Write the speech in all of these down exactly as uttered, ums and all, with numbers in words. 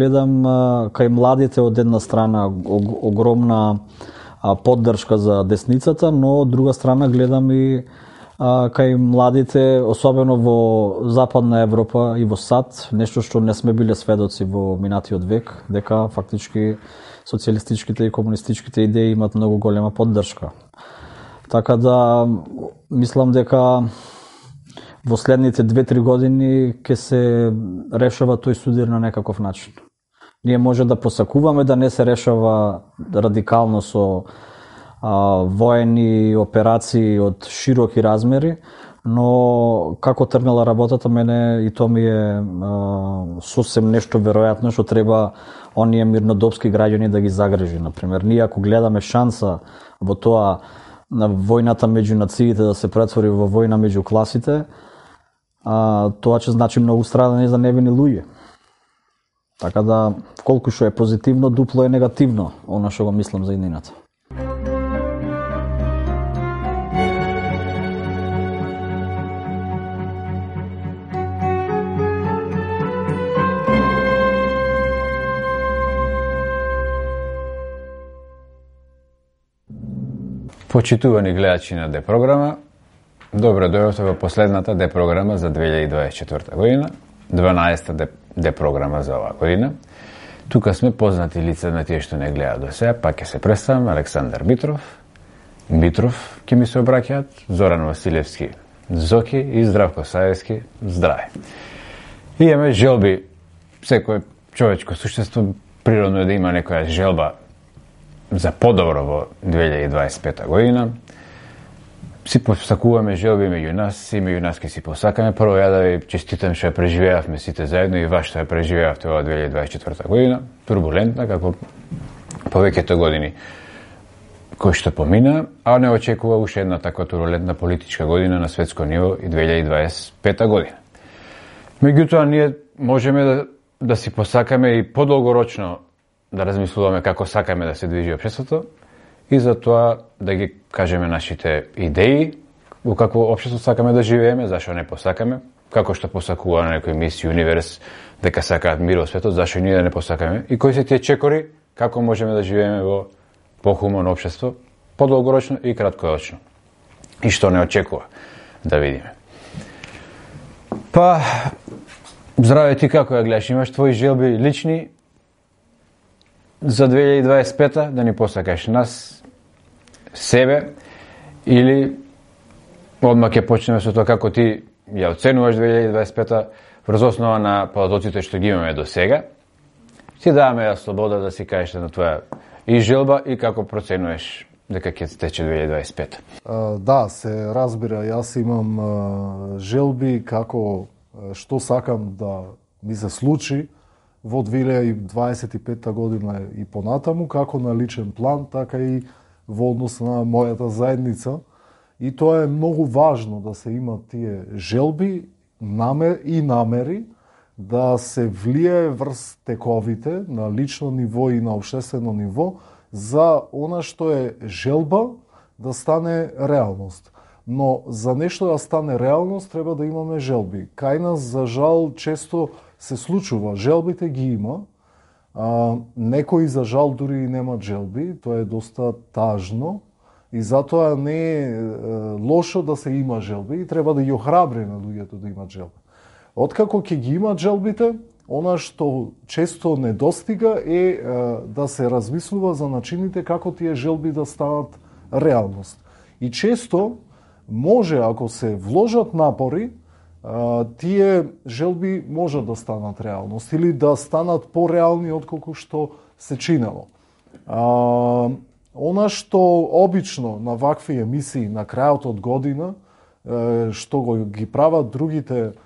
гледам кај младите од една страна огромна поддршка за десницата, но од друга страна гледам и кај младите, особено во Западна Европа и во САД, нешто што не сме биле сведоци во минатиот век, дека фактички социјалистичките и комунистичките идеи имат многу голема поддршка. Така да мислам дека во следните две-три години ќе се решава тој судир на некаков начин. Ние може да посакуваме да не се решава радикално со а, воени операции од широки размери, но како тргнала работата, мене и тоа ми е а, сосем нешто веројатно што треба оние мирнодопски граѓани да ги загрижи. Например, ние ако гледаме шанса во тоа на војната меѓу нациите да се претвори во војна меѓу класите, а, тоа ќе значи многу страдање за невини луѓе. Така да, колку што е позитивно, дупло е негативно, она што го мислам за иднината. Почитувани гледачи на Д-програма, добро дојдовте во последната Д-програма за две илјади дваесет и четврта година, дванаесетта Д-програма за оваа година. Тука сме познати лица на тие што не гледаат до сега, пак ќе се представам, Александар Митров, Митров ќе ми се обраќаат, Зоран Василевски, Зоки и Здравко Саевски, здраве. И имаме желби, секој човечко суштество природно е да има некоја желба за подобро во две илјади дваесет и пета година. Си посакуваме желби меѓу нас и меѓу нас ке си посакаме. Прво ја да ви честитам што ја преживеавме сите заедно и вас што ја преживеавте во две илјади дваесет и четврта година. Турбулентна, како повеќето години кои што помина, а не очекува уште една таква турбулентна политичка година на светско ниво и две илјади дваесет и пета година. Меѓутоа, ние можеме да, да си посакаме и подолгорочно да размислуваме како сакаме да се движи општеството и за тоа да ги кажеме нашите идеи, во какво општество сакаме да живееме, зашо не посакаме, како што посакува на некој мис Юниверс дека сакаат мир во светот, зашо ние да не посакаме, и кои се тие чекори, како можеме да живееме во похумано општество, подолгорочно и краткорочно. И што не очекува, да видиме. Па, здраве ти, како ја гледаш, имаш твои желби лични за две илјади дваесет и пета, да ни посакаш нас, себе, или одма ќе почнеме со тоа како ти ја оценуваш две илјади дваесет и пета врз основа на податоците што ги имаме до сега. Ти даваме ја слобода да си кажеш на твоја и желба и како проценуваш дека ќе тече две илјади дваесет и пета. Uh, да, се разбира, јас имам uh, желби како uh, што сакам да ми се случи во две илјади дваесет и пета година и понатаму, како на личен план, така и во однос на мојата заедница. И тоа е многу важно да се имат тие желби намер, и намери да се влијае врз тековите на лично ниво и на општествено ниво за она што е желба да стане реалност. Но за нешто да стане реалност треба да имаме желби. Кај нас, за жал, често се случува, желбите ги има, а, некои за жал дури и немат желби, тоа е доста тажно и затоа не е, е лошо да се има желби и треба да ги охрабри на луѓето да имат желби. Откако ќе ги имат желбите, она што често недостига е, е да се размислува за начините како тие желби да станат реалност. И често може, ако се вложат напори, тие желби може да станат реалност или да станат пореални отколку што се чинело. А, она што обично на вакви емисии на крајот од година, што го ги прават другите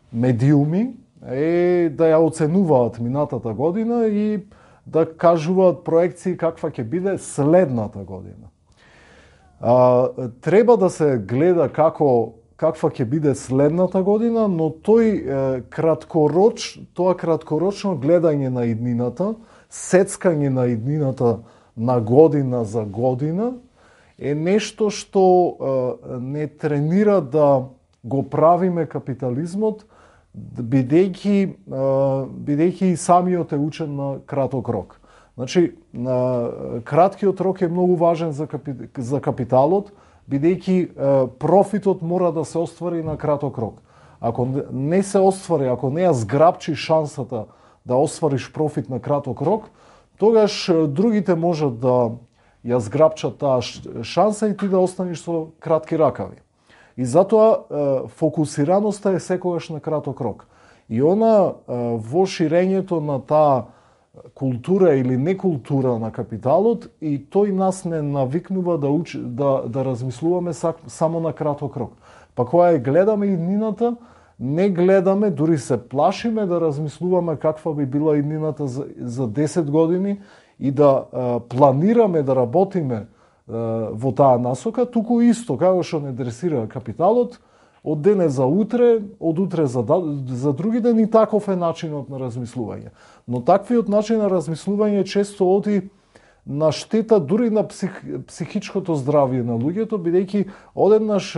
медиуми, е да ја оценуваат минатата година и да кажуваат проекции каква ќе биде следната година. А, треба да се гледа како каква ќе биде следната година, но тој е, краткороч, тоа краткорочно гледање на иднината, сецкање на иднината на година за година, е нешто што е, не тренира да го правиме капитализмот бидејќи бидејќи и самиот е учен на краток рок. Значи, на краткиот рок е многу важен за, капи, за капиталот, бидејќи профитот мора да се оствари на краток рок. Ако не се оствари, ако не ја зграбчи шансата да оствариш профит на краток рок, тогаш другите можат да ја зграбчат таа шанса и ти да останеш со кратки ракави. И затоа фокусираноста е секогаш на краток рок. И она во ширењето на таа култура или некултура на капиталот, и тој нас не навикнува да учи, да, да размислуваме само на краток рок. Па кога ја гледаме иднината, не гледаме, дури се плашиме да размислуваме каква би била иднината за, за десет години и да а, планираме да работиме а, во таа насока, туку исто, како што не дресира капиталот, од денес за утре, од утре за, за други ден, и таков е начинот на размислување. Но таквиот начин на размислување често оди на штета дури на псих, психичкото здравје на луѓето, бидејќи одеднаш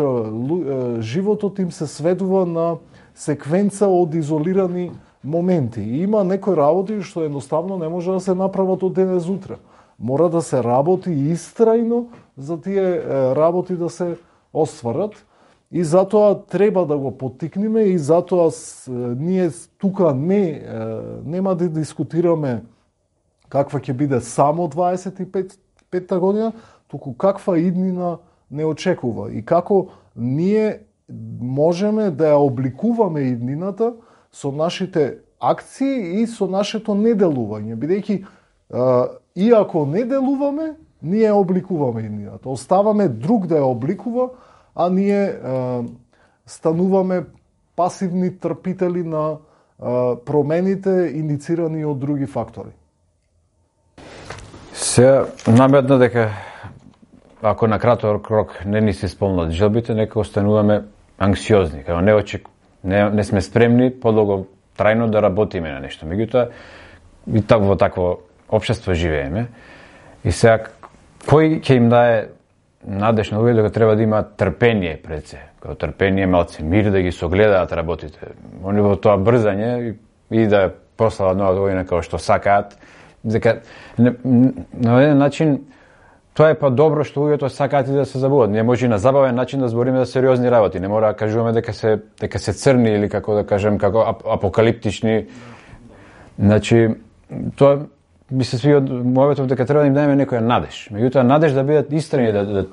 животот им се сведува на секвенца од изолирани моменти. И има некои работи што едноставно не може да се направат од денес утре. Мора да се работи истрајно за тие работи да се остварат. И затоа треба да го поттикнеме, и затоа ние тука не нема да дискутираме каква ќе биде само дваесет и петта година, туку каква иднина не очекува и како ние можеме да ја обликуваме иднината со нашите акции и со нашето неделување, бидејќи иако не делуваме, ние обликуваме иднината. Оставаме друг да ја обликува, а ние а, стануваме пасивни трпители на а, промените иницирани од други фактори. Се наметна дека ако на краток рок не ни се исполнат желбите, нека остануваме анксиозни, како не очек, не, не сме спремни подолго трајно да работиме на нешто. Меѓутоа и так во такво општество живееме. И сега кој ќе им дае надеж на луѓето дека треба да имаат трпение пред се, како трпение, малце мир да ги согледаат работите. Они во тоа брзање и да прослават нова година како што сакаат, дека не, на еден начин тоа е па добро што луѓето сакаат и да се забават. Не може на забавен начин да збориме за сериозни работи. Не мора да кажуваме дека се дека се црни или како да кажем како ап, апокалиптични. Значи тоа би се свија од мојот дека треба да им даеме некоја надеж. Меѓутоа надеж да бидат истрени, да, да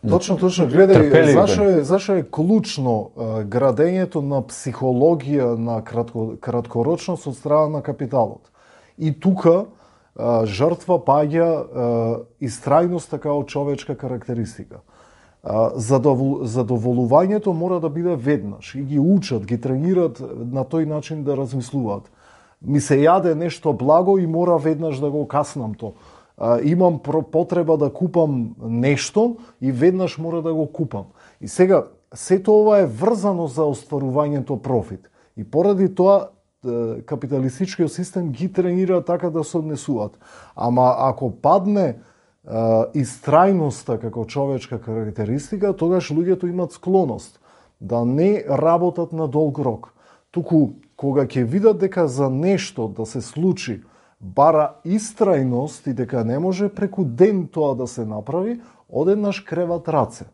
Точно, точно. Гледај, зашо е, зашо е клучно а, градењето на психологија на кратко, краткорочност од страна на капиталот. И тука а, жртва паѓа а, истрајноста како човечка карактеристика. А, задовол, задоволувањето мора да биде веднаш и ги учат, ги тренират на тој начин да размислуваат. Ми се јаде нешто благо и мора веднаш да го каснам то. А, имам потреба да купам нешто и веднаш мора да го купам. И сега, сето ова е врзано за остварувањето профит. И поради тоа, капиталистичкиот систем ги тренира така да се однесуваат. Ама ако падне а, истрајноста како човечка карактеристика, тогаш луѓето имат склоност да не работат на долг рок. Туку, кога ќе видат дека за нешто да се случи бара истрајност и дека не може преку ден тоа да се направи, одеднаш креват раце.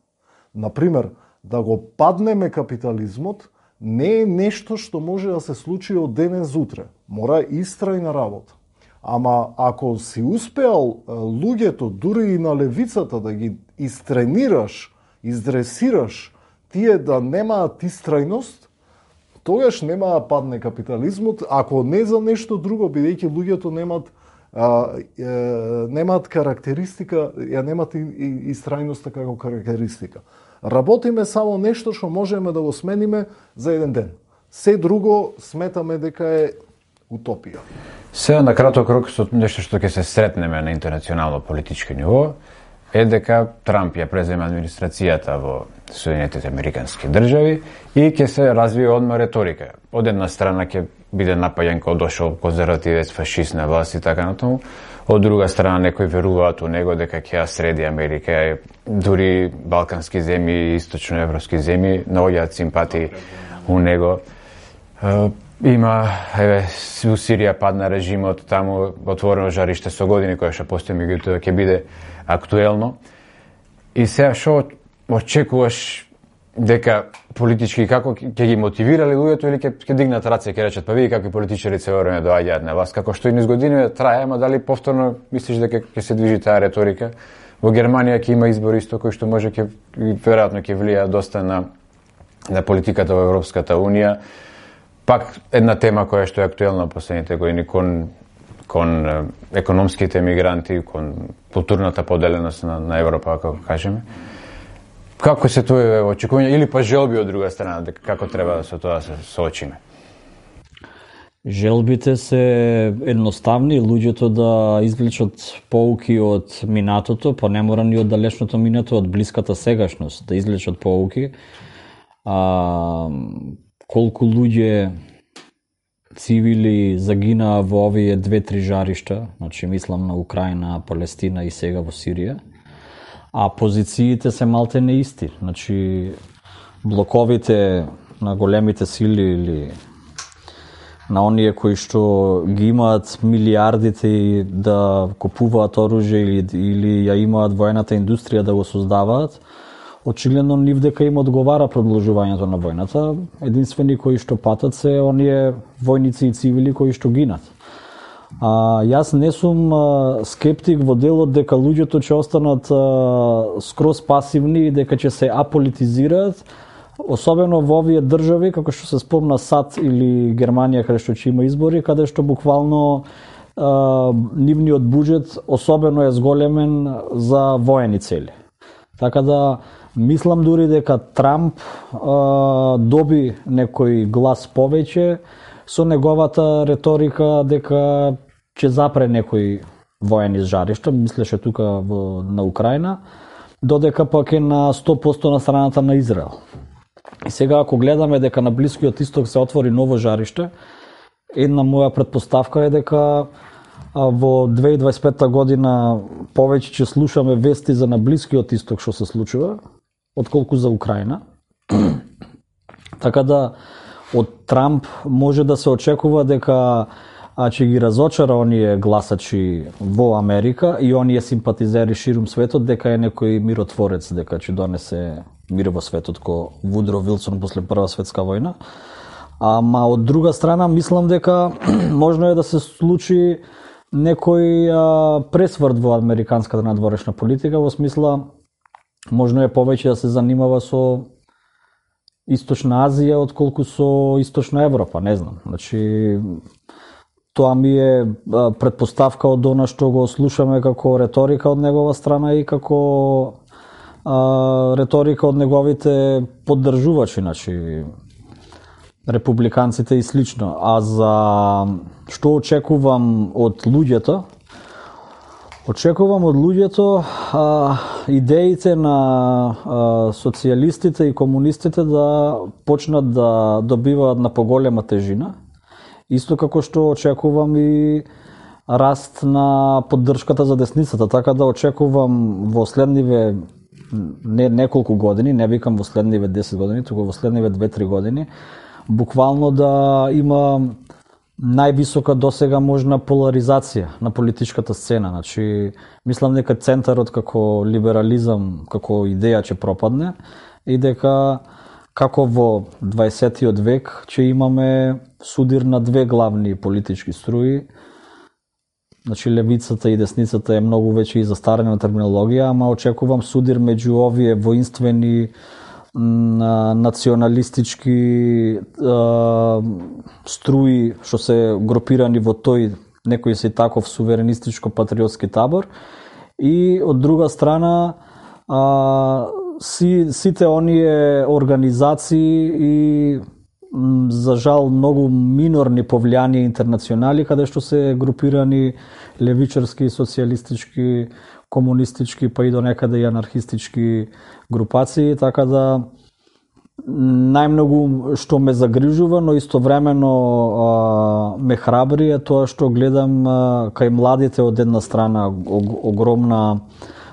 Например, да го паднеме капитализмот не е нешто што може да се случи од денес утре. Мора истрајна работа. Ама ако си успеал луѓето, дури и на левицата, да ги истренираш, издресираш, тие да немаат истрајност, тогаш нема да падне капитализмот, ако не за нешто друго, бидејќи луѓето немаат а, е, немаат карактеристика, ја немаат и, и, истрајноста како карактеристика. Работиме само нешто што можеме да го смениме за еден ден. Се друго сметаме дека е утопија. Сега на краток рок со нешто што ќе се сретнеме на интернационално политички ниво е дека Трамп ја презема администрацијата во Соединетите Американски држави и ќе се развие одма реторика. Од една страна ќе биде напаѓан кога дошол конзервативец, фашист на власт и така натаму. Од друга страна некои веруваат у него дека ќе ја среди Америка, дури балкански земји и источноевропски земји наоѓаат симпатии у него. Има, еве, у Сирија падна режимот, таму отворено жариште со години кое што постои, меѓутоа ќе биде актуелно. И сега што очекуваш дека политички како ќе ги мотивирали луѓето или ќе ќе дигнат раце и ќе речат па види какви политичари цело време доаѓаат на власт, како што и низ години трае, ама дали повторно мислиш дека ќе се движи таа реторика? Во Германија ќе има избори исто кои што може ќе веројатно ќе влијаат доста на на политиката во Европската унија. Пак една тема која што е актуелна последните години кон кон економските мигранти, кон културната поделеност на, на Европа, како кажеме. Како се тоа очекување или па желби од друга страна, дека како треба да со тоа да се соочиме? Желбите се едноставни, луѓето да извлечат поуки од минатото, па не мора ни од далечното минато, од блиската сегашност да извлечат поуки. А, колку луѓе цивили загинаа во овие две-три жаришта, значи мислам на Украина, Палестина и сега во Сирија, а позициите се малте не исти. Значи блоковите на големите сили или на оние кои што ги имаат милиардите да купуваат оружје или, или ја имаат воената индустрија да го создаваат, очигледно нив дека им одговара продолжувањето на војната. Единствени кои што патат се оние војници и цивили кои што гинат. А, јас не сум а, скептик во делот дека луѓето ќе останат а, скроз пасивни и дека ќе се аполитизираат, особено во овие држави, како што се спомна САД или Германија, каде што ќе има избори, каде што буквално а, нивниот буџет особено е зголемен за воени цели. Така да мислам дури дека Трамп а, доби некој глас повеќе со неговата реторика дека ќе запре некои воени жаришта, мислеше тука во, на Украина, додека пак е на сто проценти на страната на Израел. И сега ако гледаме дека на Блискиот исток се отвори ново жариште, една моја претпоставка е дека во две илјади и дваесет и пета година повеќе ќе слушаме вести за на Блискиот исток што се случува, отколку за Украина. Така да од Трамп може да се очекува дека а, ќе ги разочара оние гласачи во Америка и оние симпатизери ширум светот дека е некој миротворец, дека ќе донесе мир во светот ко Вудро Вилсон после Прва светска војна. Ама од друга страна мислам дека можно е да се случи некој а, пресврт во американската надворешна политика, во смисла можно е повеќе да се занимава со Источна Азија отколку со Источна Европа, не знам. Значи тоа ми е а, претпоставка од она што го слушаме како реторика од негова страна и како а, реторика од неговите поддржувачи, значи републиканците и слично. А за што очекувам од луѓето? Очекувам од луѓето а, идеите на а, социјалистите и комунистите да почнат да добиваат на поголема тежина. Исто како што очекувам и раст на поддршката за десницата, така да очекувам во следниве не неколку години, не викам во следниве десет години, туку во следниве две-три години, буквално да има највисока досега можна поларизација на политичката сцена. Значи, мислам дека центарот како либерализам, како идеја ќе пропадне и дека како во дваесеттиот век ќе имаме судир на две главни политички струи. Значи, левицата и десницата е многу веќе и застарена терминологија, ама очекувам судир меѓу овие воинствени националистички а, струи што се групирани во тој некој се таков суверенистичко-патриотски табор и од друга страна а, си, сите оние организации и за жал многу минорни повлијани интернационали каде што се групирани левичарски, социјалистички, комунистички, па и до некаде и анархистички групации, така да најмногу што ме загрижува, но истовремено а, ме храбри е тоа што гледам а, кај младите од една страна огромна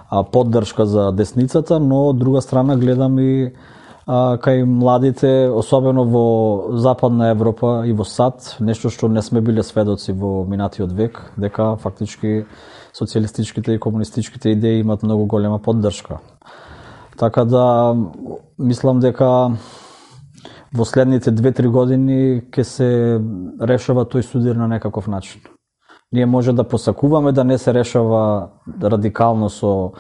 а, поддршка за десницата, но од друга страна гледам и а, кај младите, особено во Западна Европа и во САД, нешто што не сме биле сведоци во минатиот век, дека фактички социјалистичките и комунистичките идеи имат многу голема поддршка. Така да, мислам дека во следните две-три години ќе се решава тој судир на некаков начин. Ние може да посакуваме да не се решава радикално со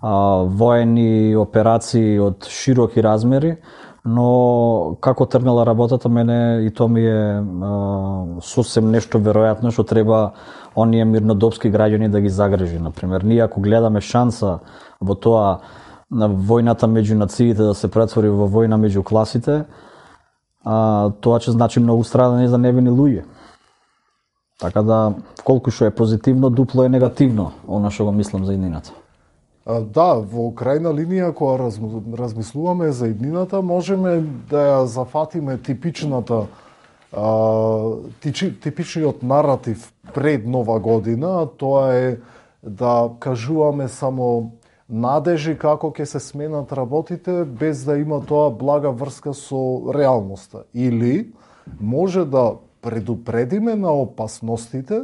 а, воени операции од широки размери, но како тргнала работата, мене и тоа ми е а, сосем нешто веројатно што треба оние мирнодопски граѓани да ги загрижи. Например, ние ако гледаме шанса во тоа на војната меѓу нациите да се претвори во војна меѓу класите, а, тоа ќе значи многу страдање за невини луѓе. Така да, колку што е позитивно, дупло е негативно, она што го мислам за иднината. А, да, во крајна линија, кога размислуваме за иднината, можеме да ја зафатиме типичната, а, тичи, типичниот наратив пред Нова година, тоа е да кажуваме само надежи како ќе се сменат работите, без да има тоа блага врска со реалноста. Или може да предупредиме на опасностите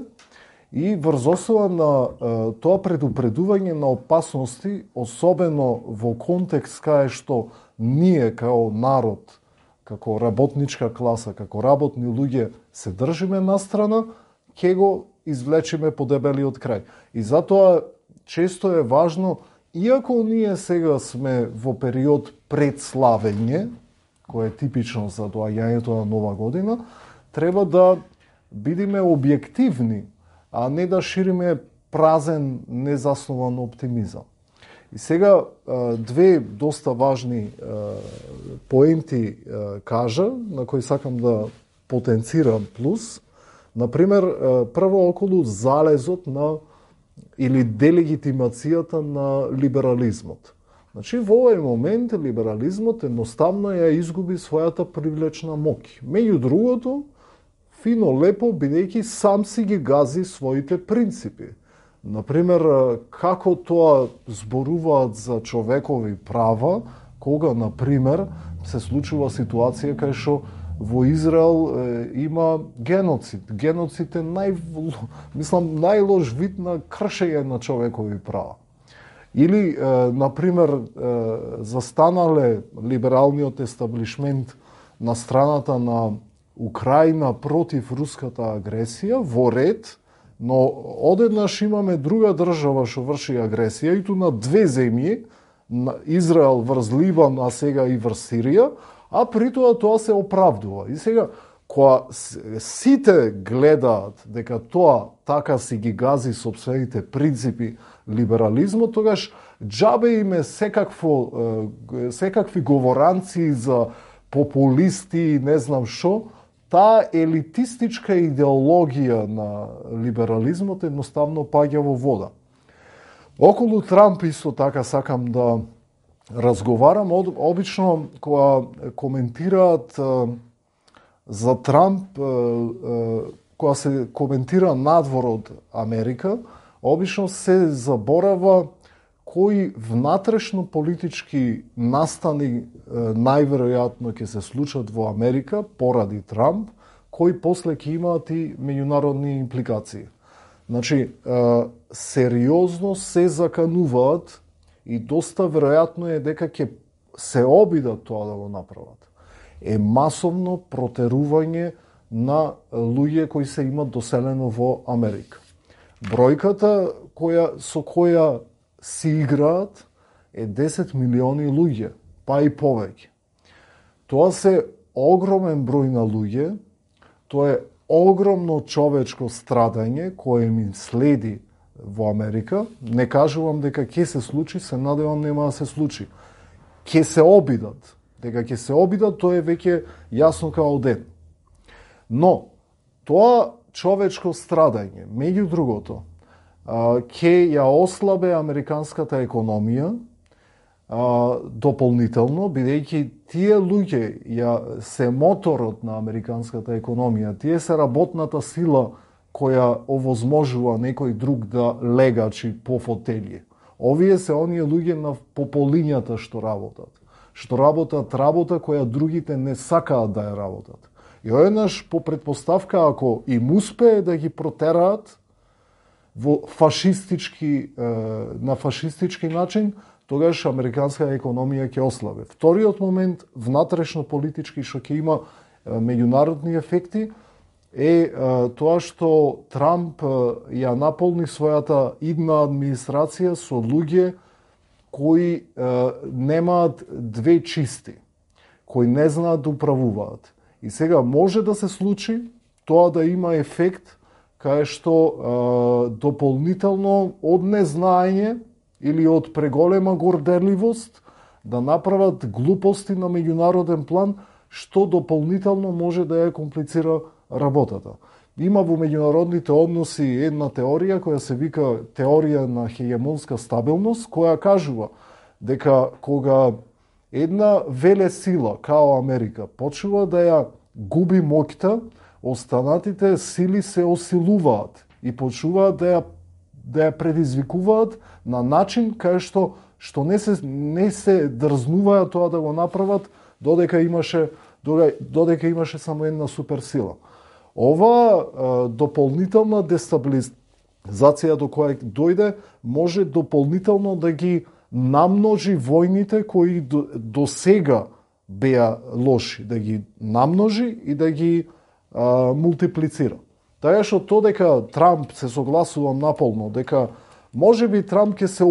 и врз основа на е, тоа предупредување на опасности, особено во контекст кај што ние као народ, како работничка класа, како работни луѓе се држиме настрана, ќе го извлечиме по дебелиот крај. И затоа често е важно, иако ние сега сме во период пред славење, кој е типично за доаѓањето на Нова година, треба да бидеме објективни, а не да шириме празен, незаснован оптимизам. И сега две доста важни поенти кажа, на кои сакам да потенцирам плюс. Например, прво околу залезот на или делегитимацијата на либерализмот. Значи, во овој момент либерализмот едноставно ја изгуби својата привлечна моќ. Меѓу другото, фино лепо, бидејќи сам си ги гази своите принципи. Например, како тоа зборуваат за човекови права, кога, например, се случува ситуација кај што во Израел е, има геноцид. Геноцид е нај, мислам, најлош вид на кршење на човекови права. Или, е, например, е, застанале либералниот естаблишмент на страната на Украина против руската агресија во ред, но одеднаш имаме друга држава што врши агресија, и ту на две земји, Израел врз Либан, а сега и врз Сирија, а при тоа тоа се оправдува. И сега, кога сите гледаат дека тоа така си ги гази сопствените принципи либерализмот, тогаш џабе име секакво, секакви говоранци за популисти и не знам што, таа елитистичка идеологија на либерализмот едноставно паѓа во вода. Околу Трамп исто така сакам да разговарам. Обично кога коментираат за Трамп, кога се коментира надвор од Америка, обично се заборава кои внатрешно политички настани најверојатно ќе се случат во Америка поради Трамп, кои после ќе имаат и меѓународни импликации. Значи, сериозно се закануваат и доста веројатно е дека ќе се обидат тоа да го направат. Е масовно протерување на луѓе кои се имат доселено во Америка. Бројката која, со која си играат е десет милиони луѓе, па и повеќе. Тоа се огромен број на луѓе, тоа е огромно човечко страдање кое ми следи во Америка. Не кажувам дека ќе се случи, се надевам нема да се случи. Ќе се обидат. Дека ќе се обидат, тоа е веќе јасно као ден. Но, тоа човечко страдање, меѓу другото, ќе ја ослабе американската економија а, дополнително, бидејќи тие луѓе ја се моторот на американската економија, тие се работната сила која овозможува некој друг да легачи по фотелји. Овие се оние луѓе на пополињата што работат, што работат работа која другите не сакаат да ја работат. И одеднаш по претпоставка ако им успее да ги протераат во фашистички на фашистички начин, тогаш американска економија ќе ослабе. Вториот момент, внатрешно политички што ќе има меѓународни ефекти е тоа што Трамп ја наполни својата идна администрација со луѓе кои немаат две чисти, кои не знаат да управуваат. И сега може да се случи тоа да има ефект кај што е, дополнително од незнаење или од преголема горделивост да направат глупости на меѓународен план, што дополнително може да ја комплицира работата. Има во меѓународните односи една теорија која се вика теорија на хегемонска стабилност, која кажува дека кога една велесила као Америка почува да ја губи моќта, останатите сили се осилуваат и почуваат да ја да ја предизвикуваат на начин кај што што не се не се дрзнуваат тоа да го направат додека имаше додека имаше само една суперсила. Ова е, дополнителна дестабилизација до која дојде може дополнително да ги намножи војните кои до, до сега беа лоши, да ги намножи и да ги а, мултиплицира. Така што то дека Трамп се согласувам наполно, дека можеби Трамп ќе се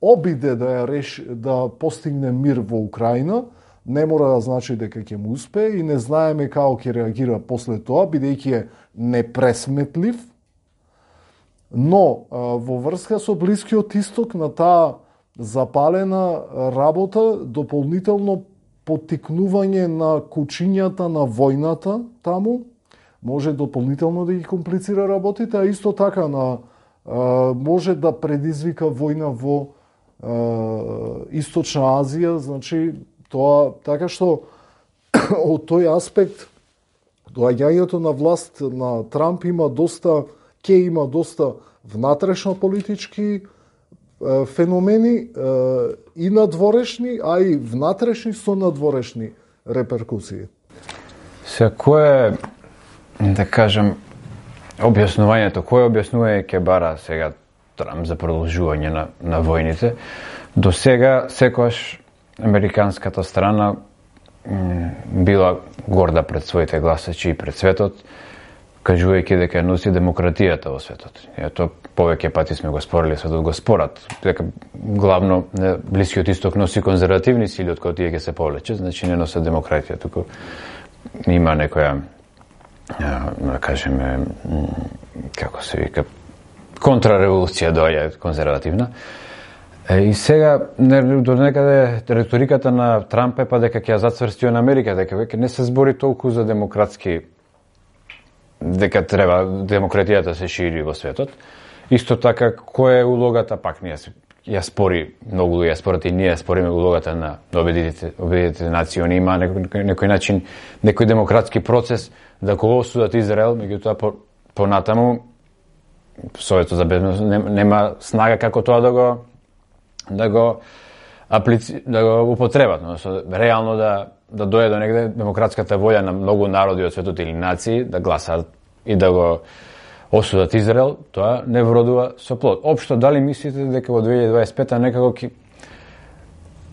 обиде да ја реши, да постигне мир во Украина, не мора да значи дека ќе му успее и не знаеме како ќе реагира после тоа, бидејќи е непресметлив. Но а, во врска со Блискиот Исток на таа запалена работа, дополнително поттикнување на кучињата на војната таму, може дополнително да ги комплицира работите, а исто така на а, може да предизвика војна во а, Источна Азија, значи тоа така што од тој аспект доаѓањето на власт на Трамп има доста ќе има доста внатрешно политички феномени и надворешни, а и внатрешни со надворешни реперкусии. Се кое да кажем објаснувањето, кое објаснување ќе бара сега Трамп за продолжување на на војните? До сега секогаш американската страна м, била горда пред своите гласачи и пред светот, кажувајќи дека носи демократијата во светот. Ето повеќе пати сме го спорили, светот го спорат, дека главно не, Блискиот Исток носи конзервативни сили од кои тие ќе се повлече, значи не носат демократија, туку има некоја да кажеме како се вика контрареволуција доаѓа конзервативна. И сега до некаде реториката на Трамп е па дека ќе ја зацврсти на Америка, дека веќе не се збори толку за демократски, дека треба демократијата се шири во светот. Исто така, која е улогата, пак ние ја спори, многу луѓе ја спорат и ние ја спориме улогата на Обединетите, Обединетите нации, они има некој, некој начин, некој демократски процес да го осудат Израел, меѓутоа по, понатаму Советот за безбедност нема снага како тоа да го да го аплици, да го употребат, но реално да да дојде до негде демократската волја на многу народи од светот или нации да гласаат и да го осудат Израел, тоа не вродува со плод. Општо, дали мислите дека во две илјади дваесет и пета некако ќе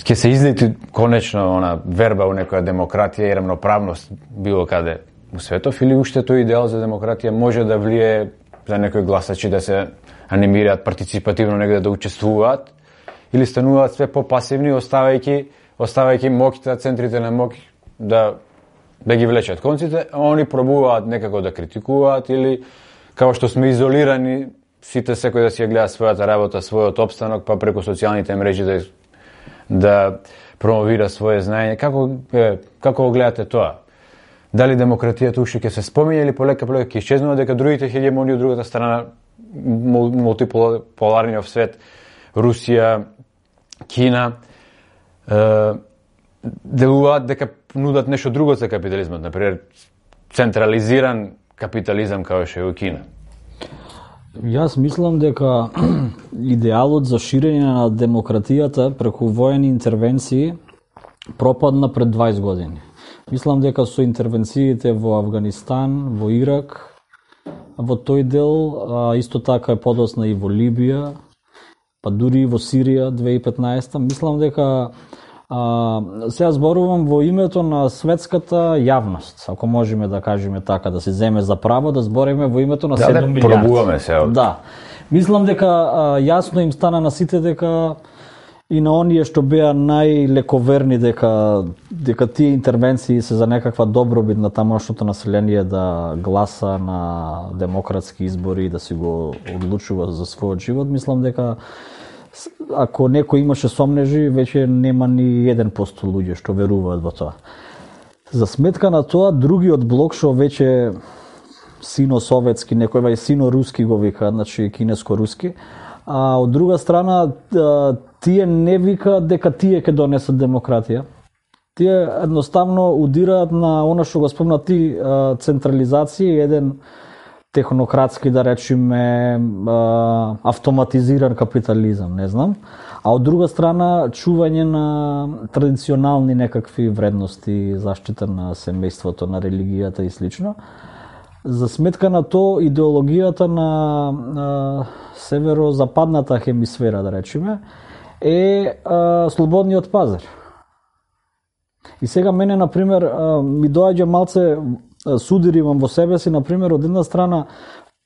ќе се излети конечно она верба у некоја демократија и рамноправност било каде у светов, или уште тој идеал за демократија може да влие за некои гласачи да се анимираат партиципативно негде да учествуваат, или стануваат све попасивни, оставајќи оставајќи моќта, центрите на моќ да да ги влечат конците, а они пробуваат некако да критикуваат или како што сме изолирани, сите секој да си ја гледа својата работа, својот опстанок, па преку социјалните мрежи да да промовира свое знаење. Како е, како го гледате тоа? Дали демократијата уште ќе се спомине или полека полека ќе исчезнува, дека другите хегемонии од другата страна, мултиполарниот свет, Русија, Кина, е, делуваат дека нудат нешто друго за капитализмот, например централизиран капитализам како што е у Кина. Јас мислам дека идеалот за ширење на демократијата преку воени интервенции пропадна пред дваесет години. Мислам дека со интервенциите во Авганистан, во Ирак, во тој дел, а, исто така е подосна и во Либија, па дури и во Сирија две илјади и петнаесета, мислам дека а, сега зборувам во името на светската јавност, ако можеме да кажеме така, да се земе за право да збориме во името на да, седум милијарди. Пробуваме се. Да. Мислам дека а, јасно им стана на сите дека и на оние што беа најлековерни дека дека тие интервенции се за некаква добробит на тамошното население да гласа на демократски избори и да си го одлучува за својот живот, мислам дека ако некој имаше сомнежи, веќе нема ни еден посто луѓе што веруваат во тоа. За сметка на тоа, другиот блок што веќе сино-советски, некој вај сино-руски го вика, значи кинеско-руски, а од друга страна тие не викаат дека тие ќе донесат демократија. Тие едноставно удираат на она што го спомна ти, централизација, еден технократски, да речеме, автоматизиран капитализам, не знам. А од друга страна, чување на традиционални некакви вредности, заштита на семејството, на религијата и слично. За сметка на тоа, идеологијата на, на северо-западната хемисфера, да речеме, е а, слободниот пазар. И сега мене, например, а, ми доаѓа малце судир имам во себе си, например, од една страна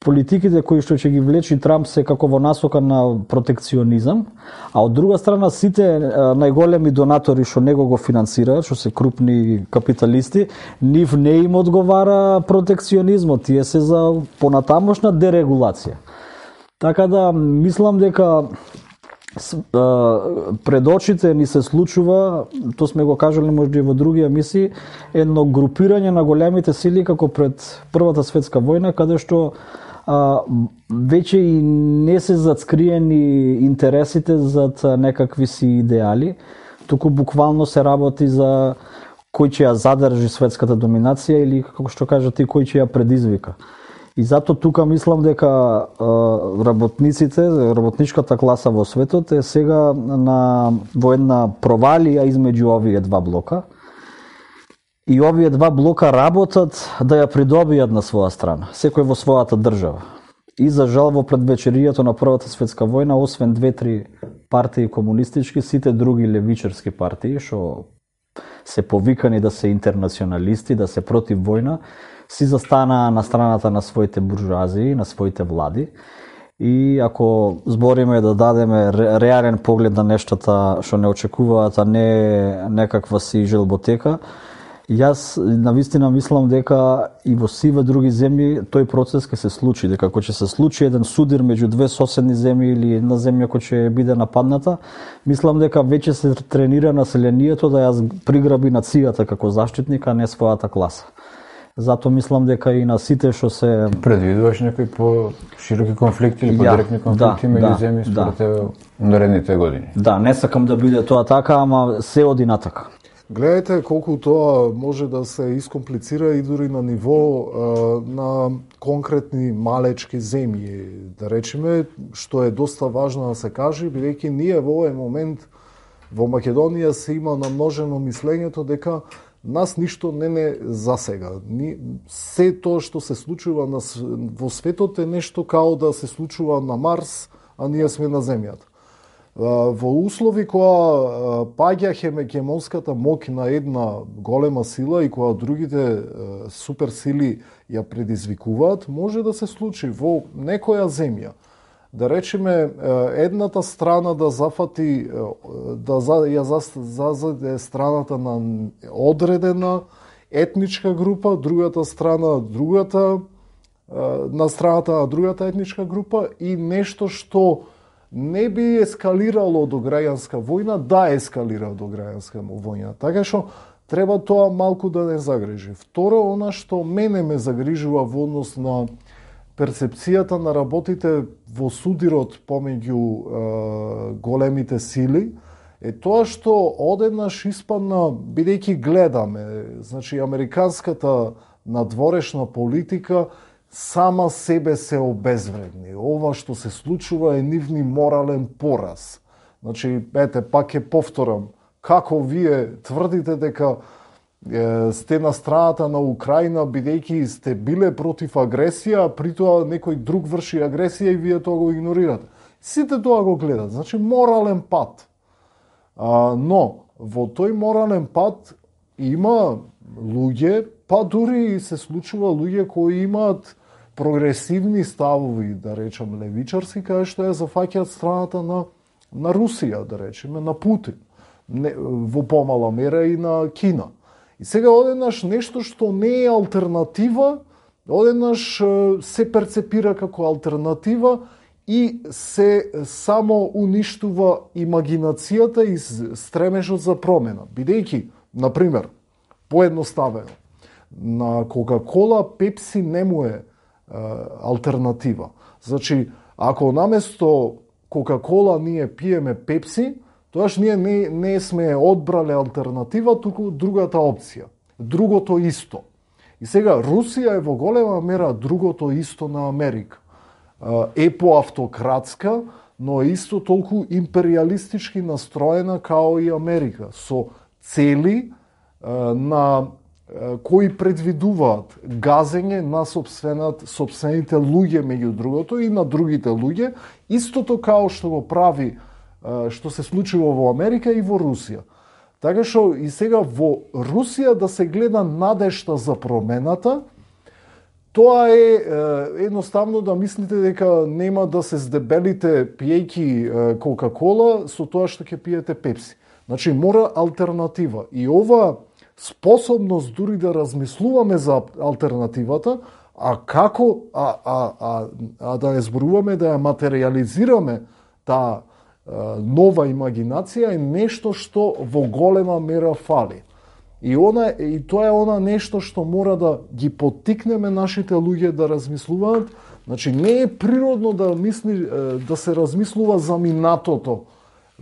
политиките кои што ќе ги влечи Трамп се како во насока на протекционизам, а од друга страна сите најголеми донатори што него го финансираат, што се крупни капиталисти, нив не им одговара протекционизмот, тие се за понатамошна дерегулација. Така да мислам дека пред очите ни се случува, тоа сме го кажали можда и во други емисии, едно групирање на големите сили како пред Првата светска војна, каде што а, веќе и не се зацкриени интересите зад некакви си идеали, туку буквално се работи за кој ќе ја задржи светската доминација или, како што кажат, и кој ќе ја предизвика. И зато тука мислам дека а, работниците, работничката класа во светот е сега на во една провалија измеѓу овие два блока. И овие два блока работат да ја придобијат на своја страна, секој во својата држава. И за жал во предвечеријето на Првата светска војна, освен две-три партии комунистички, сите други левичарски партии што се повикани да се интернационалисти, да се против војна, си застанаа на страната на своите буржуазии, на своите влади. И ако збориме да дадеме реален поглед на нештата што не очекуваат, а не некаква си желботека, јас навистина мислам дека и во сиве други земји тој процес ќе се случи, дека ако ќе се случи еден судир меѓу две соседни земји или една земја која ќе биде нападната, мислам дека веќе се тренира населението да ја приграби нацијата како заштитник, а не својата класа. Зато мислам дека и на сите што се предвидуваш некои по-широки конфликти или подиректни конфликти да, меѓу да, земји според да. тебе во наредните години? Да, не сакам да биде тоа така, ама се оди натака. Гледајте колку тоа може да се искомплицира и дури на ниво а, на конкретни малечки земји, да речеме, што е доста важно да се каже, бидејќи ние во овој момент во Македонија се има намножено мислењето дека нас ништо не не засега. Ни, се тоа што се случува на, во светот е нешто као да се случува на Марс, а ние сме на Земјата. Во услови која паѓа хегемонската моќ на една голема сила и која другите суперсили ја предизвикуваат, може да се случи во некоја земја. Да речеме, едната страна да зафати, да ја зазаде страната на одредена етничка група, другата страна другата, на страната на другата етничка група и нешто што не би ескалирало до граѓанска војна, да ескалира до граѓанска војна. Така што треба тоа малку да не загрижи. Второ, она што мене ме загрижува во однос на перцепцијата на работите во судирот помеѓу е, големите сили, е тоа што одеднаш испадна, бидејќи гледаме, значи американската надворешна политика сама себе се обезвредни. Ова што се случува е нивни морален пораз. Значи, ете, пак ќе повторам како вие тврдите дека е, сте на страната на Украина бидејќи сте биле против агресија, при тоа некој друг врши агресија и вие тоа го игнорирате. Сите тоа го гледат, значи морален пат. А, но во тој морален пат има луѓе, па дури се случува луѓе кои имаат прогресивни ставови, да речем левичарски, кај што ја зафаќаат страната на, на Русија, да речеме, на Путин, не, во помала мера и на Кина. И сега одеднаш нешто што не е алтернатива, одеднаш се перцепира како алтернатива и се само уништува имагинацијата и стремежот за промена. Бидејќи, например, поедноставено, на Кока-кола, Пепси не му е алтернатива. Значи, ако наместо Кока-кола ние пиеме Пепси, тоаш ние не, не сме одбрале алтернатива, туку другата опција. Другото исто. И сега, Русија е во голема мера другото исто на Америка. Е поавтократска, но исто толку империалистички настроена као и Америка, со цели на кои предвидуваат газење на сопствените луѓе меѓу другото и на другите луѓе, истото као што го прави, што се случува во Америка и во Русија. Така што и сега во Русија да се гледа надежта за промената, тоа е едноставно да мислите дека нема да се здебелите пиејќи Кока-кола со тоа што ќе пиете Пепси. Значи мора алтернатива. И ова способност дури да размислуваме за алтернативата, а како а, а, а, а да ја зборуваме, да ја материализираме таа нова имагинација е нешто што во голема мера фали. И она и тоа е она нешто што мора да ги поттикнеме нашите луѓе да размислуваат. Значи не е природно да мисли да се размислува за минатото.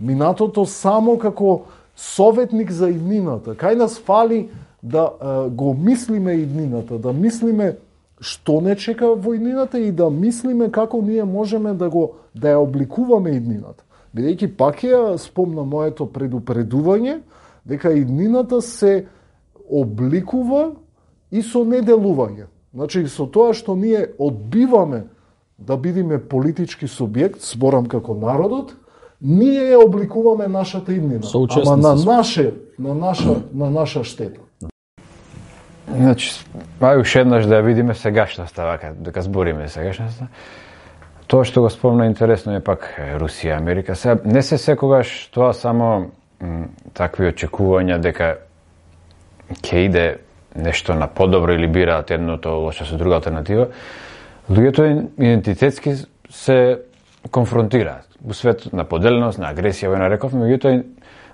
Минатото само како советник за иднината. Кај нас фали да е, го мислиме иднината, да мислиме што не чека во иднината и да мислиме како ние можеме да го да ја обликуваме иднината. Бидејќи пак ја спомна моето предупредување дека иднината се обликува и со неделување. Значи со тоа што ние одбиваме да бидеме политички субјект, зборам како народот, ние ја обликуваме нашата иднина, ама на наше, на наша, на наша штета. Значи, ај уште еднаш да ја видиме сегашната, вака, дека збориме сегашната. Тоа што го спомна интересно е пак Русија, Америка. Сега, не се секогаш тоа само м, такви очекувања дека ќе иде нешто на подобро или бираат едното лошо со друга алтернатива. Луѓето идентитетски се конфронтираат во свет на поделеност, на агресија, во нареков, меѓутоа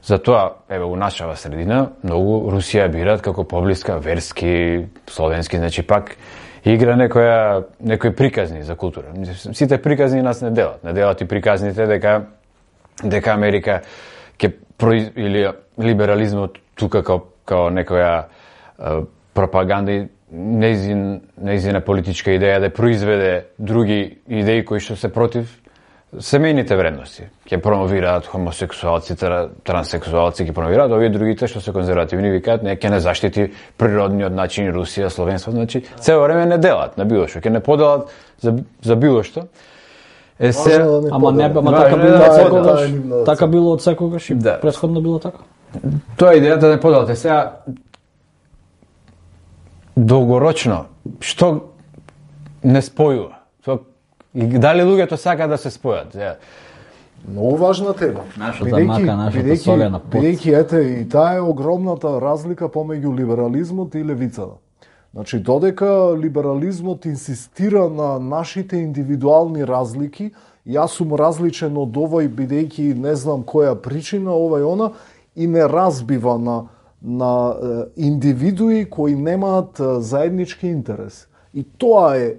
за тоа еве у нашава средина многу Русија бираат како поблиска, верски, словенски, значи пак игра некоја некои приказни за култура. Сите приказни нас не делат, не делат и приказните дека дека Америка ќе произ... или либерализмот тука како како некоја е, пропаганда и неизин неизина политичка идеја да произведе други идеи кои што се против семејните вредности. Ќе промовираат хомосексуалци, транссексуалци, ќе промовираат, овие другите што се конзервативни викаат, не ќе не заштити природниот начин Русија, словенство, значи цело време не делат на било што, ќе не поделат за за било што. Е се, да ама не, ама така било од секогаш. Така било од секогаш и да. Претходно било така. Тоа е идејата да не поделате. Сега долгорочно што не спојува? И дали луѓето сака да се спојат? Многу важна тема. Нашата мака, нашата солена пот. Бидејќи ете и таа е огромната разлика помеѓу либерализмот и левицата. Значи додека либерализмот инсистира на нашите индивидуални разлики, јас сум различен од овој бидејќи не знам која причина, овај она, и не разбива на на индивидуи кои немаат заеднички интерес. И тоа е, е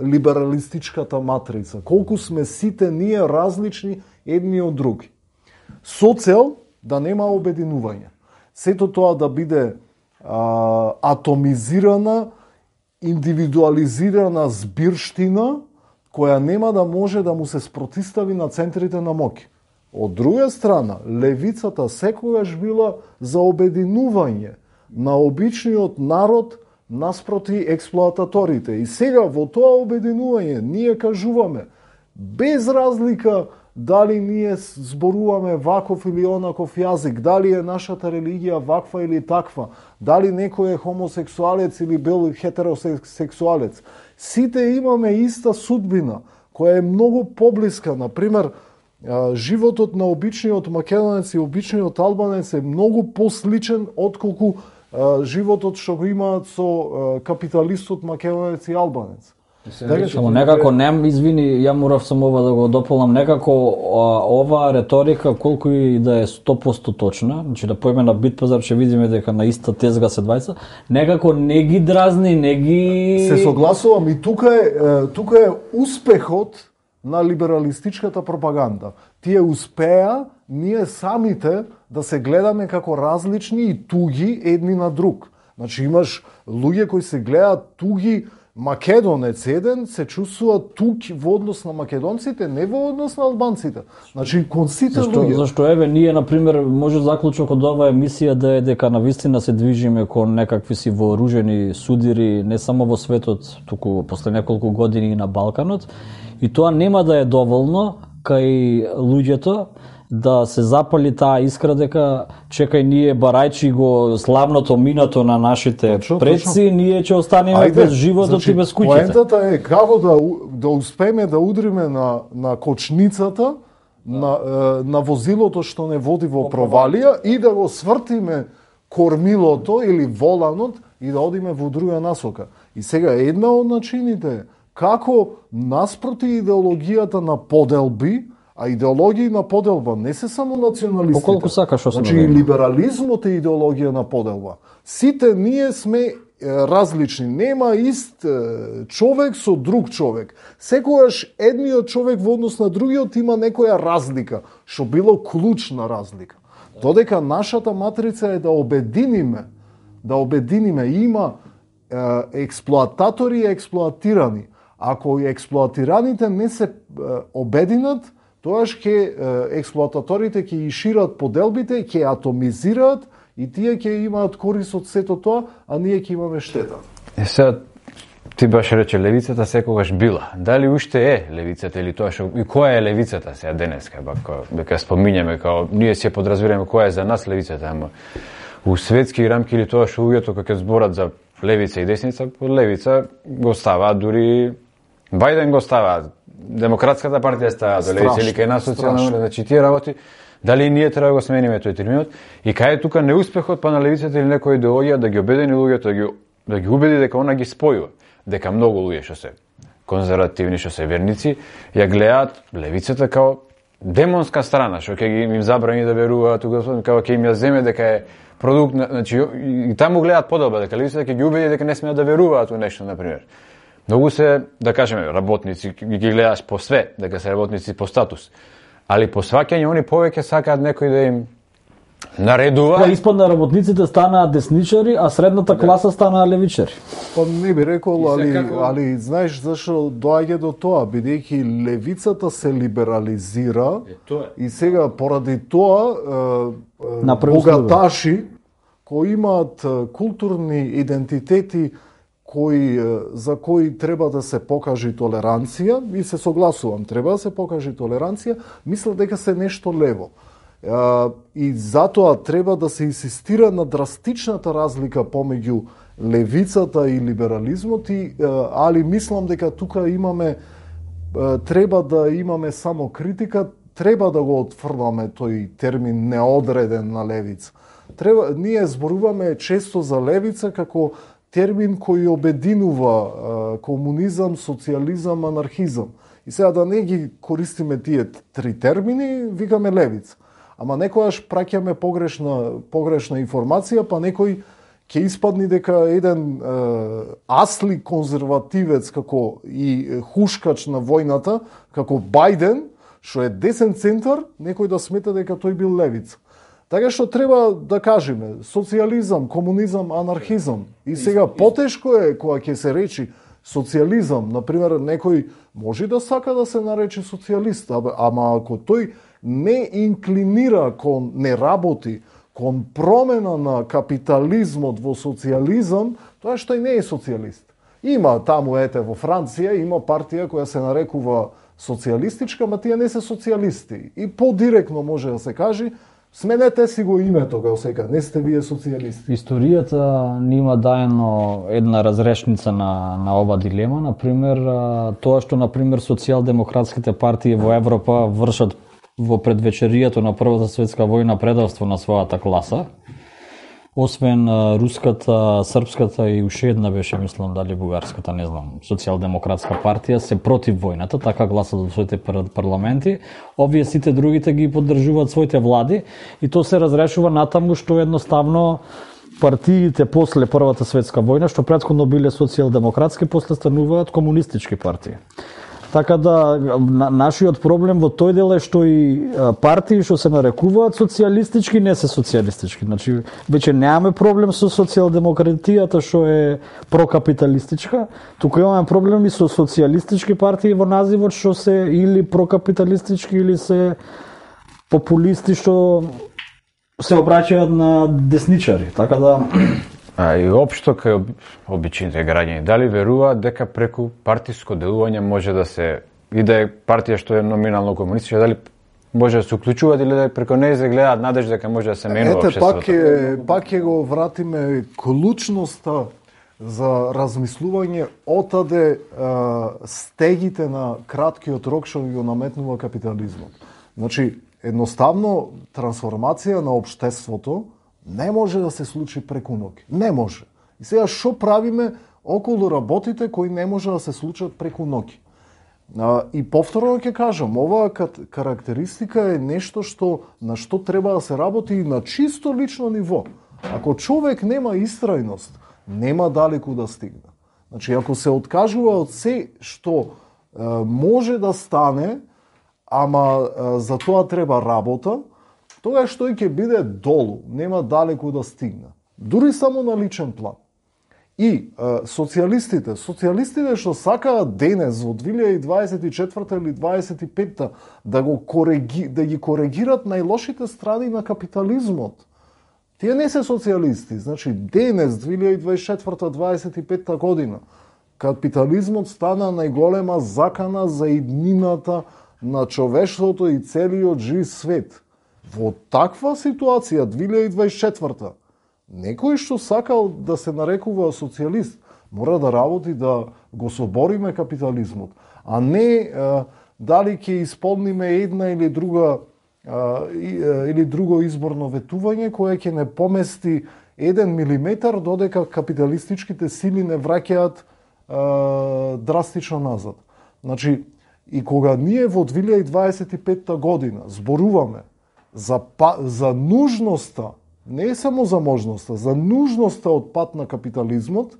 либералистичката матрица. Колку сме сите ние различни едни од други. Со цел да нема обединување. Сето тоа да биде а, атомизирана, индивидуализирана збирштина, која нема да може да му се спротистави на центрите на моќ. Од друга страна, левицата секогаш била за обединување на обичниот народ наспроти експлоататорите. И сега во тоа обединување ние кажуваме, без разлика дали ние зборуваме ваков или онаков јазик, дали е нашата религија ваква или таква, дали некој е хомосексуалец или бил хетеросексуалец. Сите имаме иста судбина, која е многу поблиска. Например, животот на обичниот македонец и обичниот албанец е многу посличен отколку животот што го имаат со капиталистот македонец и албанец. Само некако нем, извини, ја морав само ова да го дополнам, некако ова реторика колку и да е сто проценти точна, значи да поеме на Битпазар ќе видиме дека на иста тезга се двајца, некако не ги дразни, не ги Се согласувам и тука е тука е успехот на либералистичката пропаганда. Тие успеа ние самите да се гледаме како различни и туги едни на друг. Значи имаш луѓе кои се гледаат туги, македонец еден се чувствува тук во однос на македонците, не во однос на албанците. Значи кон сите зашто, луѓе. Зашто еве ние на пример може заклучок од оваа емисија да е дека навистина се движиме кон некакви си вооружени судири не само во светот, туку после неколку години и на Балканот, и тоа нема да е доволно кај луѓето да се запали таа искра дека чекај ние барајчи го славното минато на нашите точно, предци, точно. Ние ќе останеме Ајде, без животот значи, и без куќите. Поентата е како да да успееме да удриме на на кочницата на на возилото што не води во провалија и да го свртиме кормилото или воланот и да одиме во друга насока. И сега една од начините е како наспроти идеологијата на поделби, а идеологија на поделба не се само националистите. Поколку сакаш освен. Значи и либерализмот е идеологија на поделба. Сите ние сме е, различни, нема ист е, човек со друг човек. Секогаш едниот човек во однос на другиот има некоја разлика, што било клучна разлика. Додека нашата матрица е да обединиме, да обединиме има е, експлоататори и експлоатирани. Ако и експлоатираните не се е, обединат, тоаш ќе експлоататорите ќе ги шират поделбите, ќе атомизираат и тие ќе имаат корист од сето тоа, а ние ќе имаме штета. Е сега ти баш рече левицата секогаш била. Дали уште е левицата или тоа што и која е левицата сега денеска, бако дека спомињаме као ние се подразбираме која е за нас левицата, ама у светски рамки или тоа што луѓето кога ќе зборат за левица и десница, левица го ставаат дури Бајден го ставаат. Демократската партија става до левица или кај нас социјална, значи тие работи, дали ние треба да го смениме тој терминот и кај е тука неуспехот па на левицата или некоја идеологија да ги обедини луѓето, да ги да ги убеди дека она ги спојува, дека многу луѓе што се конзервативни, што се верници, ја гледаат левицата као демонска страна, што ќе ги им забрани да веруваат, као ќе им ја земе дека е продукт, значи и таму гледаат поделба дека левицата ќе ги убеди дека не смеат да веруваат во нешто, на пример. Многу се, да кажеме, работници, ги гледаш по све, дека се работници по статус. Али по сваќање, они повеќе сакаат некој да им наредува. Па испадна работниците станаа десничари, а средната класа станаа левичари. Па не би рекол, али, како... али знаеш зашо доаѓа до тоа, бидејќи левицата се либерализира е, тоа. И сега поради тоа е, богаташи кои имаат културни идентитети кои, за кои треба да се покаже толеранција, и се согласувам, треба да се покаже толеранција, мислам дека се нешто лево. И затоа треба да се инсистира на драстичната разлика помеѓу левицата и либерализмот, и, али мислам дека тука имаме, треба да имаме само критика, треба да го отфрламе тој термин неодреден на левица. Треба, ние зборуваме често за левица како термин кој обединува комунизам, социјализам, анархизам. И сега да не ги користиме тие три термини, викаме левица. Ама некојаш праќаме погрешна, погрешна информација, па некој ќе испадни дека еден е, асли конзервативец како и хушкач на војната, како Бајден, што е десен центар, некој да смета дека тој бил левица. Така што треба да кажеме социјализам, комунизам, анархизам. И сега потешко е кога ќе се речи социјализам, например, некој може да сака да се нарече социјалист, ама ако тој не инклинира кон, не работи кон промена на капитализмот во социјализам, тоа што и не е социјалист. Има таму, ете, во Франција, има партија која се нарекува социјалистичка, ма тие не се социјалисти. И подиректно може да се каже, сменете си го името, како сека, не сте вие социјалисти. Историјата нима даено една разрешница на, на ова дилема. Например, тоа што, например, социјалдемократските партии во Европа вршат во предвечеријето на Првата светска војна предавство на својата класа, освен руската, српската и уште една беше, мислам, дали бугарската, не знам, социјалдемократска партија се против војната, така гласат во своите парламенти. Овие сите другите ги поддржуваат своите влади и тоа се разрешува натаму што едноставно партиите после Првата светска војна, што претходно биле социјалдемократски, после стануваат комунистички партии. Така да, на, нашиот проблем во тој дел е што и партии што се нарекуваат социјалистички не се социјалистички. Значи, веќе немаме проблем со социјалдемократијата што е прокапиталистичка, туку имаме проблем и со социјалистички партии во називот што се или прокапиталистички или се популисти што се обраќаат на десничари. Така да А и општо кај обичните граѓани, дали веруваат дека преку партиско делување може да се и да е партија што е номинално комунистичка, дали може да се уклучуваат или да преку неја се гледаат надеж дека може да се менува општеството? Ете, пак е, пак ќе го вратиме клучноста за размислување отаде а, стегите на краткиот рок што го наметнува капитализмот. Значи, едноставно трансформација на општеството не може да се случи преку ноќ. Не може. И сега што правиме околу работите кои не може да се случат преку ноќ? И повторно ќе кажам, оваа карактеристика е нешто што на што треба да се работи и на чисто лично ниво. Ако човек нема истрајност, нема далеку да стигне. Значи, ако се откажува од се што е, може да стане, ама е, за тоа треба работа, тогаш тој ќе биде долу, нема далеку да стигне. Дури само на личен план. И е, социјалистите, социјалистите што сакаат денес во две илјади дваесет и четврта или дваесет и петта да го кореги, да ги коригират најлошите страни на капитализмот. Тие не се социјалисти. Значи денес две илјади дваесет и четврта дваесет и петта година капитализмот стана најголема закана за иднината на човештвото и целиот жив свет. Во таква ситуација, две илјади дваесет и четврта, некој што сакал да се нарекува социјалист, мора да работи да го собориме капитализмот, а не а, дали ќе исполниме една или друга а, или друго изборно ветување кое ќе не помести еден милиметар додека капиталистичките сили не враќаат а, драстично назад. Значи, и кога ние во две илјади дваесет и петта година зборуваме за, за нужноста, не само за можноста, за нужноста од пат на капитализмот,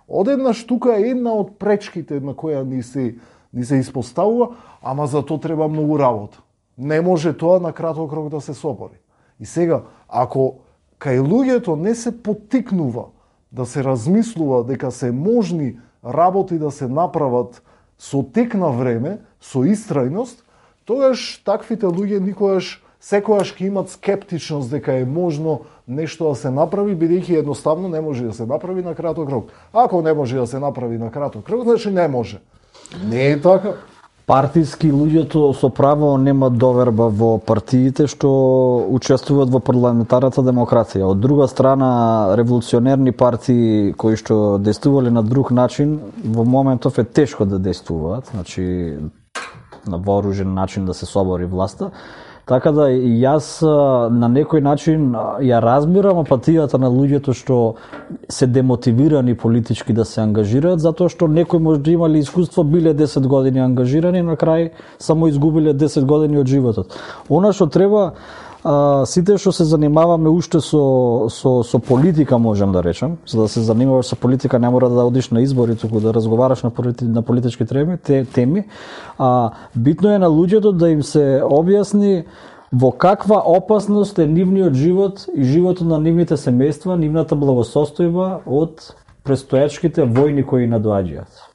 одеднаш тука е една од пречките на која ни се, ни се испоставува, ама за тоа треба многу работа. Не може тоа на краток рок да се собори. И сега, ако кај луѓето не се поттикнува да се размислува дека се можни работи да се направат со тек на време, со истрајност, тогаш таквите луѓе никогаш секојаш ќе имат скептичност дека е можно нешто да се направи, бидејќи едноставно не може да се направи на краток рок. Ако не може да се направи на краток рок, значи не може. Не е така. Партиски луѓето со право немаат доверба во партиите што учествуваат во парламентарната демократија. Од друга страна, револуционерни партии кои што действувале на друг начин, во моментов е тешко да действуваат, значи на вооружен начин да се собори власта. Така да и јас на некој начин ја разбирам апатијата на луѓето што се демотивирани политички да се ангажираат, затоа што некои може да имали искуство, биле десет години ангажирани, на крај само изгубиле десет години од животот. Она што треба, а, сите што се занимаваме уште со, со, со политика, можем да речем, за да се занимаваш со политика не мора да одиш на избори, туку да разговараш на, полити, на политички теми, те, теми. А, битно е на луѓето да им се објасни во каква опасност е нивниот живот и животот на нивните семејства, нивната благосостојба од престојачките војни кои надоаѓаат.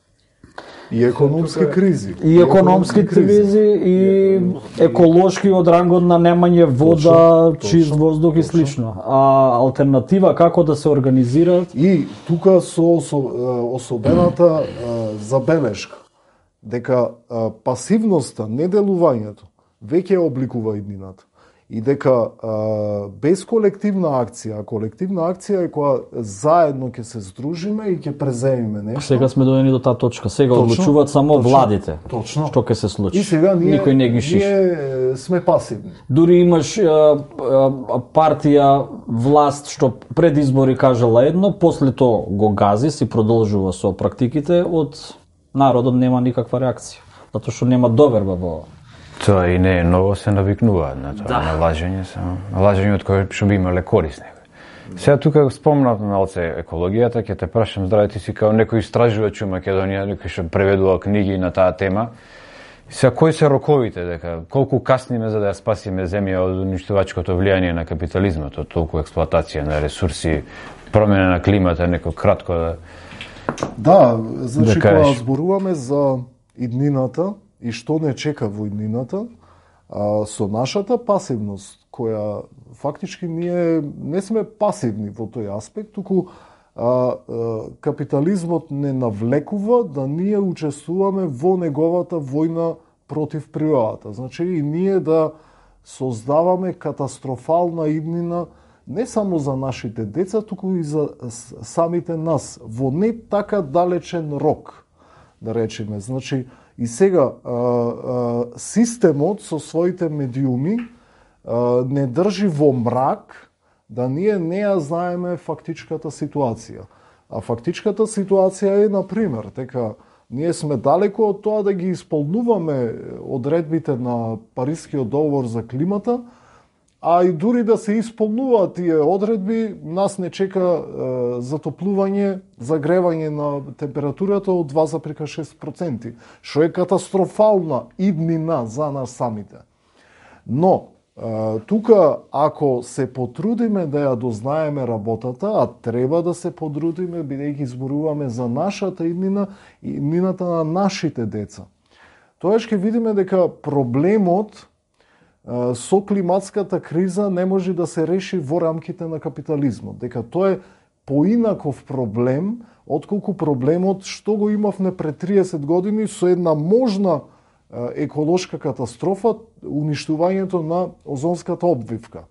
И економски кризи. И економски кризи и еколошки од рангот на немање вода, точно, чист точно, воздух и слично. А алтернатива како да се организираат? И тука со особената забелешка дека пасивноста, неделувањето веќе обликува иднината. И дека а, без колективна акција, а колективна акција е која заедно ќе се здружиме и ќе преземиме нешто. Сега сме дојдени до таа точка. Сега точно, одлучуваат само точно, владите. Точно. Што ќе се случи. И сега ние, никој не ги шиши. Ние сме пасивни. Дури имаш а, а, партија, власт што пред избори кажала едно, после тоа го гази, си продолжува со практиките, од народот нема никаква реакција, затоа што нема доверба во. Тоа и не е ново, се навикнуваат на тоа, да. На лажење, само лажење од кое што би имале корист некој. Сега тука спомнав малце екологијата, ќе те прашам, здраве, ти си као некој истражувач у Македонија, некој што преведува книги на таа тема. Сега кои се роковите, дека колку касниме за да ја спасиме земја од уништувачкото влијание на капитализмот, од толку експлоатација на ресурси, промена на климата, некој кратко да. Да, значи да кога зборуваме за иднината и што не чека во иднината, а, со нашата пасивност, која фактички ние не сме пасивни во тој аспект, туку а, а, капитализмот не навлекува да ние учествуваме во неговата војна против природата. Значи и ние да создаваме катастрофална иднина не само за нашите деца, туку и за самите нас, во не така далечен рок, да речеме. Значи, и сега, а, а, системот со своите медиуми а, не држи во мрак да ние не ја знаеме фактичката ситуација. А фактичката ситуација е, например, дека ние сме далеко од тоа да ги исполнуваме одредбите на Парискиот договор за климата, а и дури да се исполнуваат тие одредби, нас не чека е, затоплување, загревање на температурата од два зарез шест проценти, што е катастрофална иднина за нас самите. Но, е, тука, ако се потрудиме да ја дознаеме работата, а треба да се потрудиме, бидејќи зборуваме за нашата иднина и иднината на нашите деца, тоа ќе видиме дека проблемот со климатската криза не може да се реши во рамките на капитализмот. Дека тоа е поинаков проблем, отколку проблемот што го имавме пред триесет години со една можна еколошка катастрофа, уништувањето на озонската обвивка.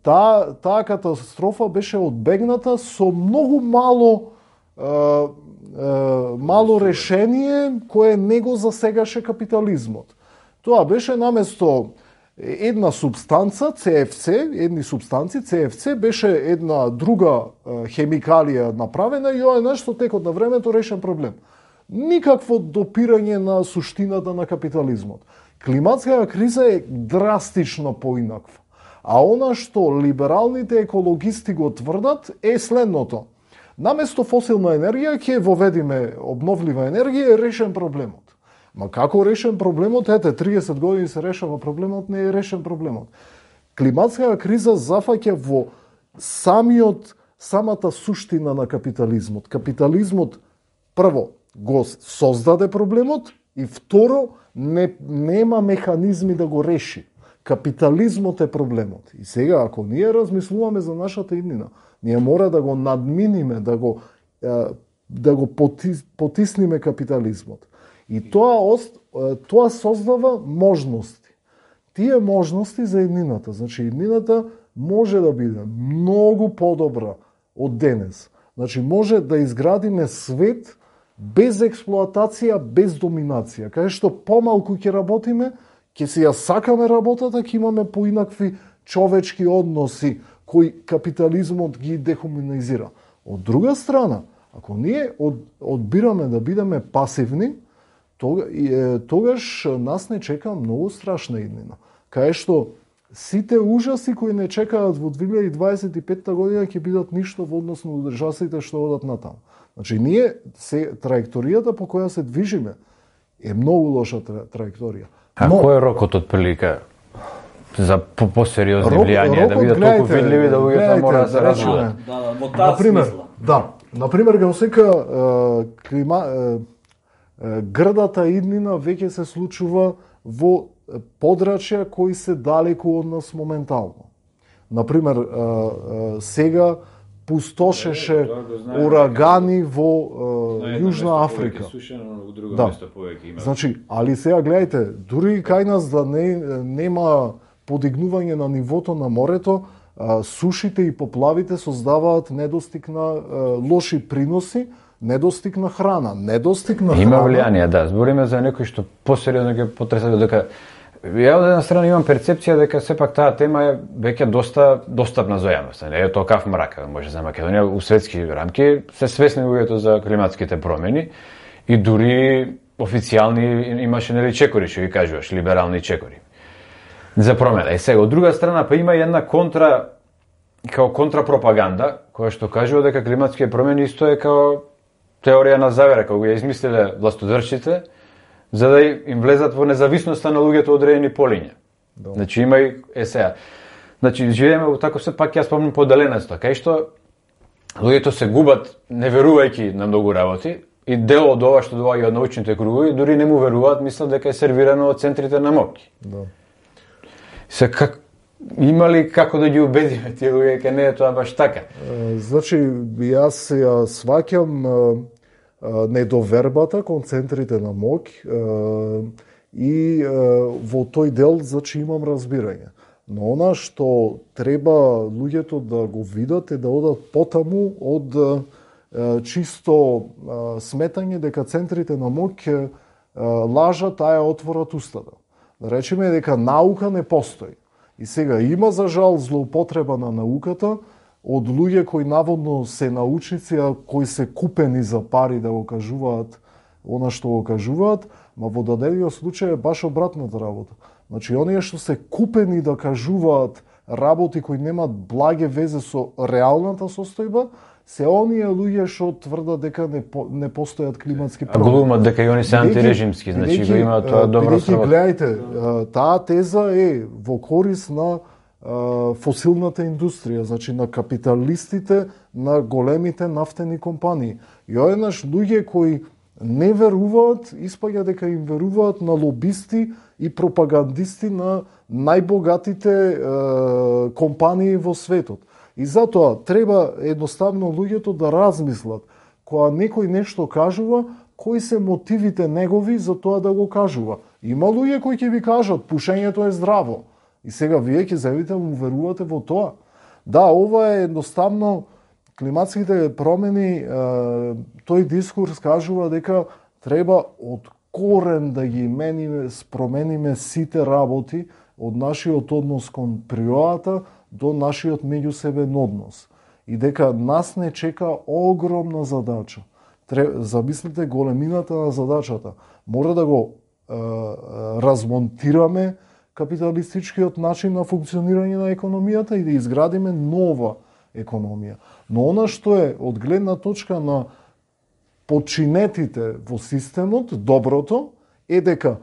Таа таа катастрофа беше одбегната со многу мало е, е, мало решение кое не го засегаше капитализмот. Тоа беше наместо една субстанца, Си Еф Си, едни субстанци, Си Еф Си беше една друга е, хемикалија направена и ова е нешто текот на времето решен проблем. Никакво допирање на суштината на капитализмот. Климатската криза е драстично поинаква. А она што либералните екологисти го тврдат е следното. Наместо фосилна енергија ќе воведиме обновлива енергија, е решен проблемот. Ма како решен проблемот? Ете, триесет години се решава проблемот, не е решен проблемот. Климатската криза зафаќа во самиот, самата суштина на капитализмот. Капитализмот, прво, го создаде проблемот и второ, не, нема механизми да го реши. Капитализмот е проблемот. И сега, ако ние размислуваме за нашата иднина, ние мора да го надминиме, да го, да го потисниме капитализмот. И тоа, тоа создава можности. Тие можности за иднината. Значи, иднината може да биде многу подобра од денес. Значи, може да изградиме свет без експлоатација, без доминација. Каде што помалку ќе работиме, ќе си ја сакаме работата, ќе имаме поинакви човечки односи кои капитализмот ги дехуманизира. Од друга страна, ако ние од, одбираме да бидеме пасивни, тогаш нас не чека многу страшна иднина. Кај што сите ужаси кои не чекаат во две илјади дваесет и петта година ќе бидат ништо во однос на ужасите што одат натаму. Значи, ние се траекторијата по која се движиме е многу лоша траекторија. А Но, кој е рокот од прилика за посериозни влијанија, да бидат толку видливи да луѓето мора да се развиваат? Да, во таа смисла. Да, например, го сека клима грдата иднина веќе се случува во подрачја кои се далеку од нас моментално. Например, сега пустошеше урагани во Јужна Африка. Да. Значи, али сега гледајте, дури кај нас да не нема подигнување на нивото на морето, сушите и поплавите создаваат недостиг на лоши приноси, недостиг на храна, недостиг на Има храна. влијание, да. Збориме за некој што посериозно ќе потреса дека ја од една страна имам перцепција дека сепак таа тема е веќе доста достапна за јавноста. Не е тоа каф мрак, може за Македонија у светски рамки се свесни луѓето за климатските промени и дури официјални имаше нели чекори, што ги кажуваш, либерални чекори за промена. И сега од друга страна па има една контра као контрапропаганда која што кажува дека климатските промени исто е као теорија на завера, кога ја измислиле властодржците, за да им влезат во независноста на луѓето од одредени полиња. Да. Значи има и е сега. Значи живееме во тако се пак ја спомнам поделеноста, кај што луѓето се губат не верувајќи на многу работи и дел од ова што доаѓа од научните кругови дури не му веруваат, мислат дека е сервирано од центрите на моќ. Да. Се как има ли како да ги убедиме тие луѓе дека не е тоа баш така? Значи јас ја сваќам недовербата кон центрите на моќ и во тој дел значи имам разбирање. Но она што треба луѓето да го видат е да одат потаму од чисто сметање дека центрите на моќ лажат, а ја отворат устата. Да речеме дека наука не постои. И сега има за жал злоупотреба на науката од луѓе кои наводно се научници, а кои се купени за пари да го кажуваат она што го кажуваат, ма во дадениот случај е баш обратната работа. Значи, оние што се купени да кажуваат работи кои немаат благе везе со реалната состојба, се оние луѓе што тврдат дека не, по, не постојат климатски промени. А глумат дека и они се антирежимски, значи го имаат тоа добро сработа. Гледајте, таа теза е во корис на фосилната индустрија, значи на капиталистите, на големите нафтени компании. И одеднаш луѓе кои не веруваат, испаѓа дека им веруваат на лобисти и пропагандисти на најбогатите е, компании во светот. И затоа треба едноставно луѓето да размислат кога некој нешто кажува, кои се мотивите негови за тоа да го кажува. Има луѓе кои ќе ви кажат пушењето е здраво. И сега вие ќе зајавите му верувате во тоа. Да, ова е едноставно климатските промени, тој дискурс кажува дека треба од корен да ги мениме, спромениме сите работи од нашиот однос кон природата до нашиот меѓусебен однос. И дека нас не чека огромна задача. Замислите големината на задачата. Мора да го е, размонтираме капиталистичкиот начин на функционирање на економијата и да изградиме нова економија. Но она што е од гледна точка на починетите во системот, доброто, е дека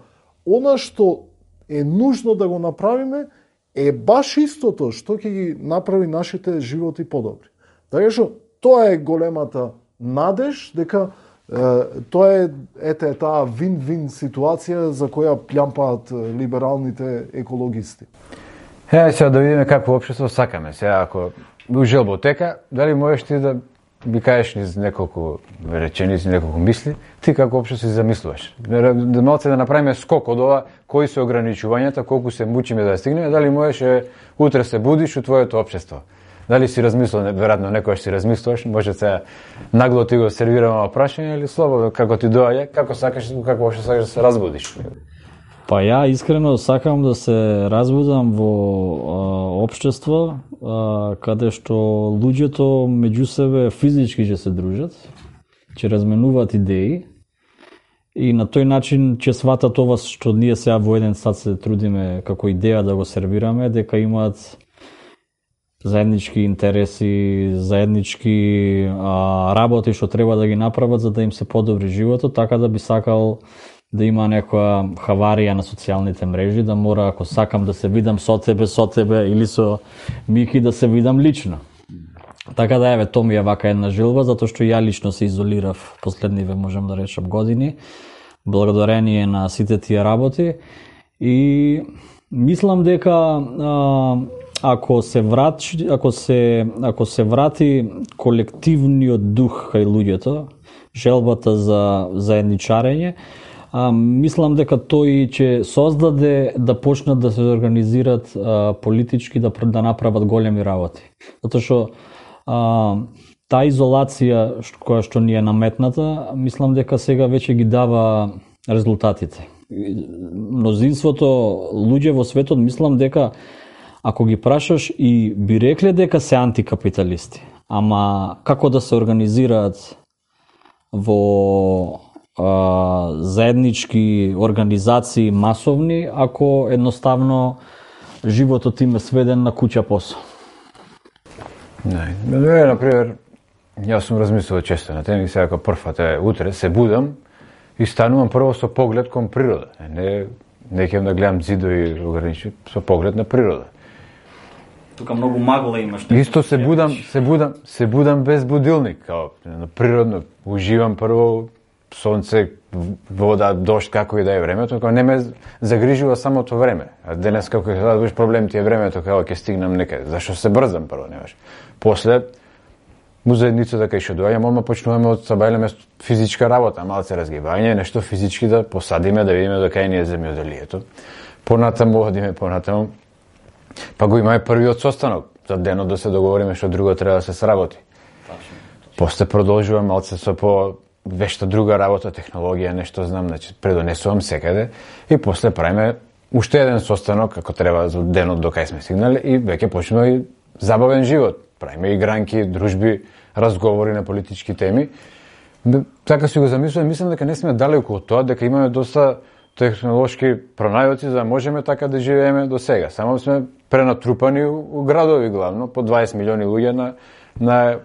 она што е нужно да го направиме е баш истото што ќе ги направи нашите животи подобри. Така што тоа е големата надеж дека е, тоа е ете таа вин-вин ситуација за која плјампаат либералните екологисти. Е, сега да видиме какво општество сакаме. Сега ако у желботека, дали можеш ти да би кажеш низ неколку реченици, неколку мисли, ти како општо се замислуваш? Да малце да направиме скок од ова, кои се ограничувањата, колку се мучиме да стигнеме, дали можеш утре се будиш у твоето општество? Дали си размислил, веројатно некојаш си размислуваш, може се нагло ти го сервираме прашање или слободно како ти доаѓа, како сакаш, како општо сакаш да се разбудиш? Па ја искрено сакам да се разбудам во а, општество а, каде што луѓето меѓу себе физички ќе се дружат, ќе разменуваат идеи и на тој начин ќе сватат ова што ние сега во еден сат се трудиме како идеја да го сервираме, дека имаат заеднички интереси, заеднички а, работи што треба да ги направат за да им се подобри животот, така да би сакал да има некоја хаварија на социјалните мрежи, да мора, ако сакам да се видам со тебе, со тебе или со Мики, да се видам лично. Така да, еве, тоа ми е вака една жилба, затоа што ја лично се изолирав последниве, можем да речем, години. благодарение на сите тие работи. И мислам дека а, ако се врати, ако се ако се врати колективниот дух кај луѓето, желбата за заедничарење, а, мислам дека тој ќе создаде да почнат да се организират а, политички, да да направат големи работи. Затоа што а, таа изолација која што ни е наметната, мислам дека сега веќе ги дава резултатите. Мнозинството луѓе во светот, мислам дека ако ги прашаш и би рекле дека се антикапиталисти, ама како да се организираат во а, заеднички организации масовни, ако едноставно животот им е сведен на куќа посо. Не, не, например, јас сум размислувал често на тема и сега како првата утре се будам и станувам прво со поглед кон природа. Не, не ќе да гледам зидови ограничени, со поглед на природа. Тука многу магла имаш. Исто се будам, се будам, се будам без будилник, као на природно. Уживам прво сонце, вода, дожд, како и да е времето, као не ме загрижува самото време. А денес како ќе да проблем ти е времето, као ќе стигнам некаде. Зашо се брзам прво, немаш. После му заедницата кај што доаѓам, одма почнуваме од сабајлеме физичка работа, малце разгибање, нешто физички да посадиме, да видиме до кај ни е земјоделието. Понатаму одиме понатаму. Па го имаме првиот состанок за денот да се договориме што друго треба да се сработи. После продолжувам малце со по вешта друга работа, технологија, нешто знам, значи предонесувам секаде и после правиме уште еден состанок како треба за денот до кај сме стигнале и веќе почнува и забавен живот. Правиме игранки, дружби, разговори на политички теми. Така си го замислувам, мислам дека не сме далеку од тоа, дека имаме доста технолошки пронајоци за да можеме така да живееме до сега. Само сме пренатрупани у градови главно, по дваесет милиони луѓе на на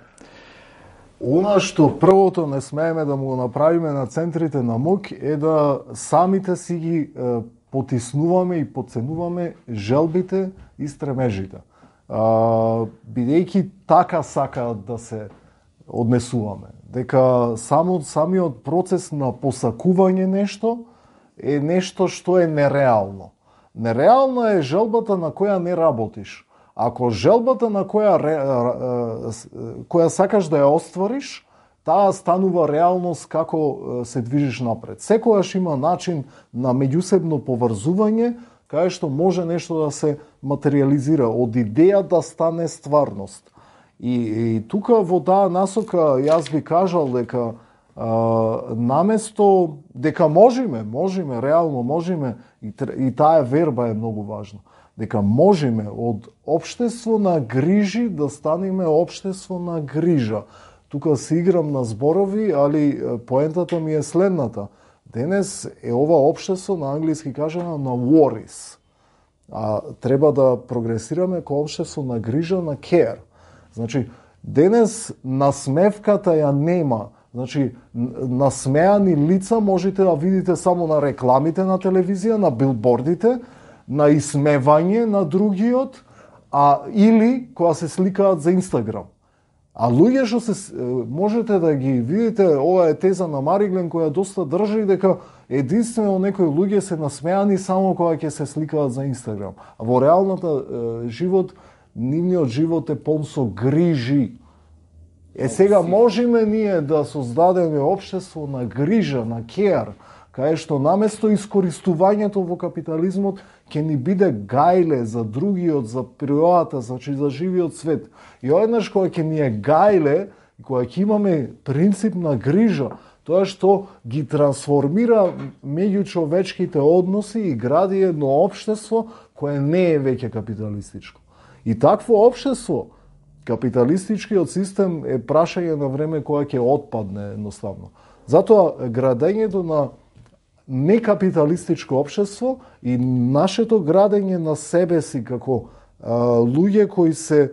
Она што првото не смееме да му го направиме на центрите на моќ е да самите си ги е, потиснуваме и подценуваме желбите и стремежите. А, бидејќи така сакаат да се однесуваме. Дека само самиот процес на посакување нешто е нешто што е нереално. Нереална е желбата на која не работиш. Ако желбата на која која сакаш да ја оствариш, таа станува реалност како се движиш напред. Секогаш има начин на меѓусебно поврзување кај што може нешто да се материализира, од идеја да стане стварност. И, и тука во таа насока јас би кажал дека а, наместо дека можеме, можеме, реално можеме, и, и таа верба е многу важна, дека можеме од општество на грижи да станеме општество на грижа. Тука се играм на зборови, али поентата ми е следната. Денес е ова општество, на англиски кажано, на worries. А треба да прогресираме ко општество на грижа, на care. Значи, денес насмевката ја нема. Значи, насмеани лица можете да видите само на рекламите на телевизија, на билбордите, на исмевање на другиот, а или кога се сликаат за Инстаграм. А луѓе што се можете да ги видите, ова е теза на Мариглен која доста држи дека единствено некои луѓе се насмеани само кога ќе се сликаат за Инстаграм. А во реалната е, живот, нивниот живот е полн со грижи. Е сега можеме ние да создадеме општество на грижа, на care, кај што наместо искористувањето во капитализмот ќе ни биде гајле за другиот, за природата, значи за живиот свет. И одеднаш кога ќе ни е гајле, кога ќе имаме принцип на грижа, тоа што ги трансформира меѓучовечките односи и гради едно општество кое не е веќе капиталистичко. И такво општество, капиталистичкиот систем е прашање на време кога ќе отпадне едноставно. Затоа градењето на некапиталистичко општество и нашето градење на себе си како а, луѓе кои се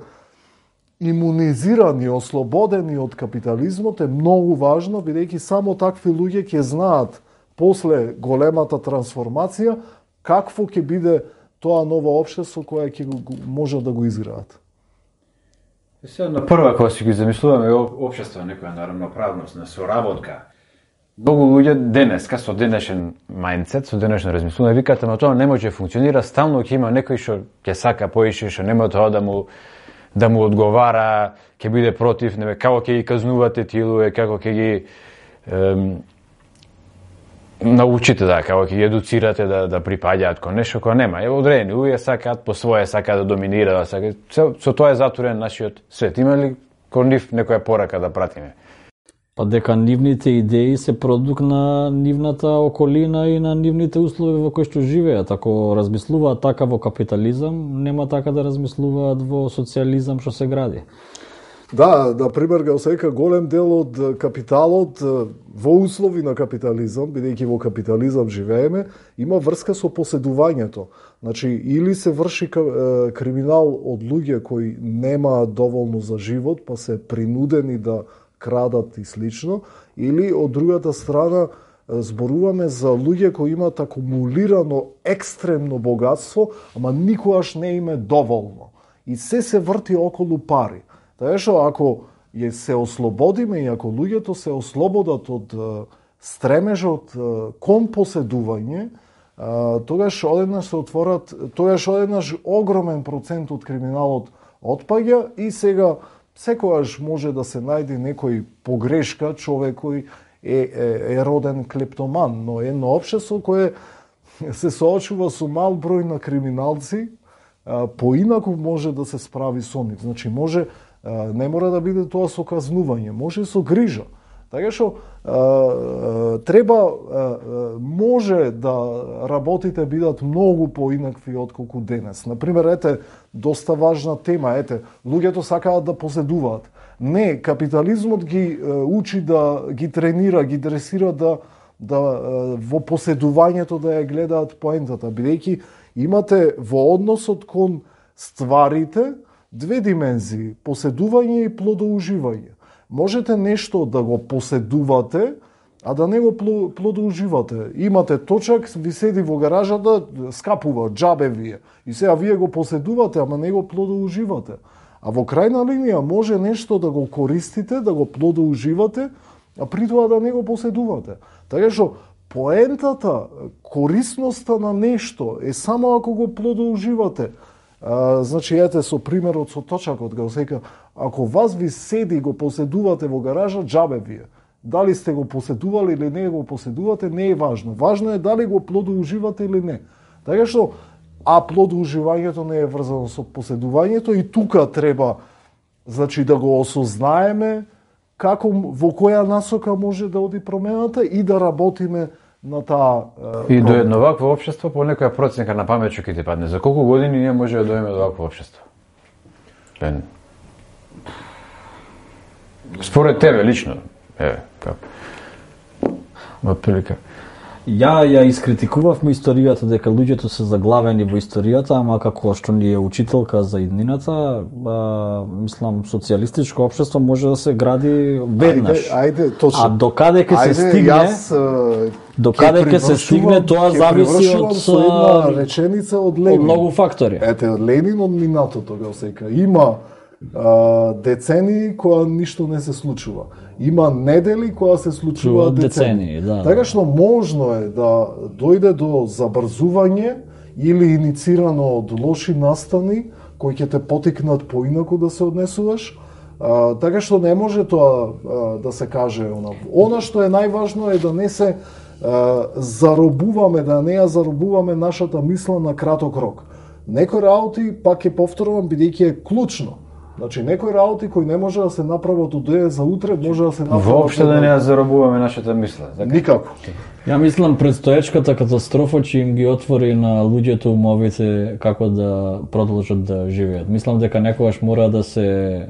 имунизирани, ослободени од капитализмот е многу важно, бидејќи само такви луѓе ќе знаат после големата трансформација какво ќе биде тоа ново општество кое ќе може да го изградат. Сега на прва кога си ги замислуваме општество, некоја на равноправност, на соработка, Многу луѓе денеска со денешен мајндсет, со денешно размислување викаат, ама тоа не може да функционира, стално ќе има некој што ќе сака поише, што нема тоа да му да му одговара, ќе биде против, не како ќе ги казнувате тие луѓе, како ќе ги ем, научите да, како ќе ги едуцирате да да припаѓаат кон нешто кога нема. Ево одредени луѓе сакаат по своје, сакаат да доминираат, сакаат. Со, со тоа е затворен нашиот свет. Има ли кон нив некоја порака да пратиме? Па дека нивните идеи се продукт на нивната околина и на нивните услови во кои што живеат. Ако размислуваат така во капитализам, нема така да размислуваат во социализам што се гради. Да, на пример, га осека голем дел од капиталот во услови на капитализам, бидејќи во капитализам живееме, има врска со поседувањето. Значи, или се врши криминал од луѓе кои немаат доволно за живот, па се принудени да крадат и слично, или од другата страна зборуваме за луѓе кои имаат акумулирано екстремно богатство, ама никогаш не им е доволно. И се се врти околу пари. Така што ако ја се ослободиме и ако луѓето се ослободат од стремежот кон поседување, тогаш одеднаш се отворат, тогаш одеднаш огромен процент од криминалот отпаѓа и сега секогаш може да се најде некој погрешка, човек кој е, е, е роден клептоман, но едно општество кое се соочува со мал број на криминалци, поинаку може да се справи со нив. Значи, може, не мора да биде тоа со казнување, може и со грижа. Така што треба, може да работите бидат многу поинакви отколку денес. Например, ете, доста важна тема, ете, луѓето сакаат да поседуваат. Не, капитализмот ги учи да ги тренира, ги дресира да да во поседувањето да ја гледаат поентата, бидејќи имате во односот кон стварите две димензии, поседување и плодоуживање. Можете нешто да го поседувате, а да не го плодоуживате. Имате точак, ви седи во гаражата, скапува, џабе вие. И сега вие го поседувате, ама не го плодоуживате. А во крајна линија може нешто да го користите, да го плодоуживате, а при тоа да не го поседувате. Така што поентата, корисноста на нешто е само ако го плодоуживате. А, значи, ете со примерот со точакот, го сека, ако вас ви седи го поседувате во гаража, џабе вие. Дали сте го поседували или не го поседувате, не е важно. Важно е дали го плодоуживате или не. Така што, а плодоуживањето не е врзано со поседувањето и тука треба, значи, да го осознаеме како, во која насока може да оди промената и да работиме на таа е, и до едно вакво општество по некоја проценка на памет ќе ти падне. За колку години ние може да дојдеме до вакво општество? Пен... Според тебе лично, еве, како? Отприлика. Ја ја искритикувавме историјата дека луѓето се заглавени во историјата, ама како што ни е учителка за иднината, а, мислам социјалистичко општество може да се гради веднаш. Ајде, ајде, точно. А докаде ќе се стигне? Јас, докаде ќе се стигне, тоа зависи од со една реченица од Ленин. Од многу фактори. Ете, од Ленин од минатото го сека. Има а, децении која ништо не се случува. Има недели која се случува децении. Да, така што можно е да дојде до забрзување или иницирано од лоши настани кои ќе те потикнат поинаку да се однесуваш. А, така што не може тоа а, да се каже она. Она што е најважно е да не се а, заробуваме, да не ја заробуваме нашата мисла на краток рок. Некои работи, пак ќе повторувам, бидејќи е клучно. Значи, некои работи кои не може да се направат од денес за утре, може да се направат... Воопште да не ја заробуваме нашата мисла. Така? Никако. Ја мислам, предстоечката катастрофа ќе им ги отвори на луѓето умовите како да продолжат да живеат. Мислам дека некогаш мора да се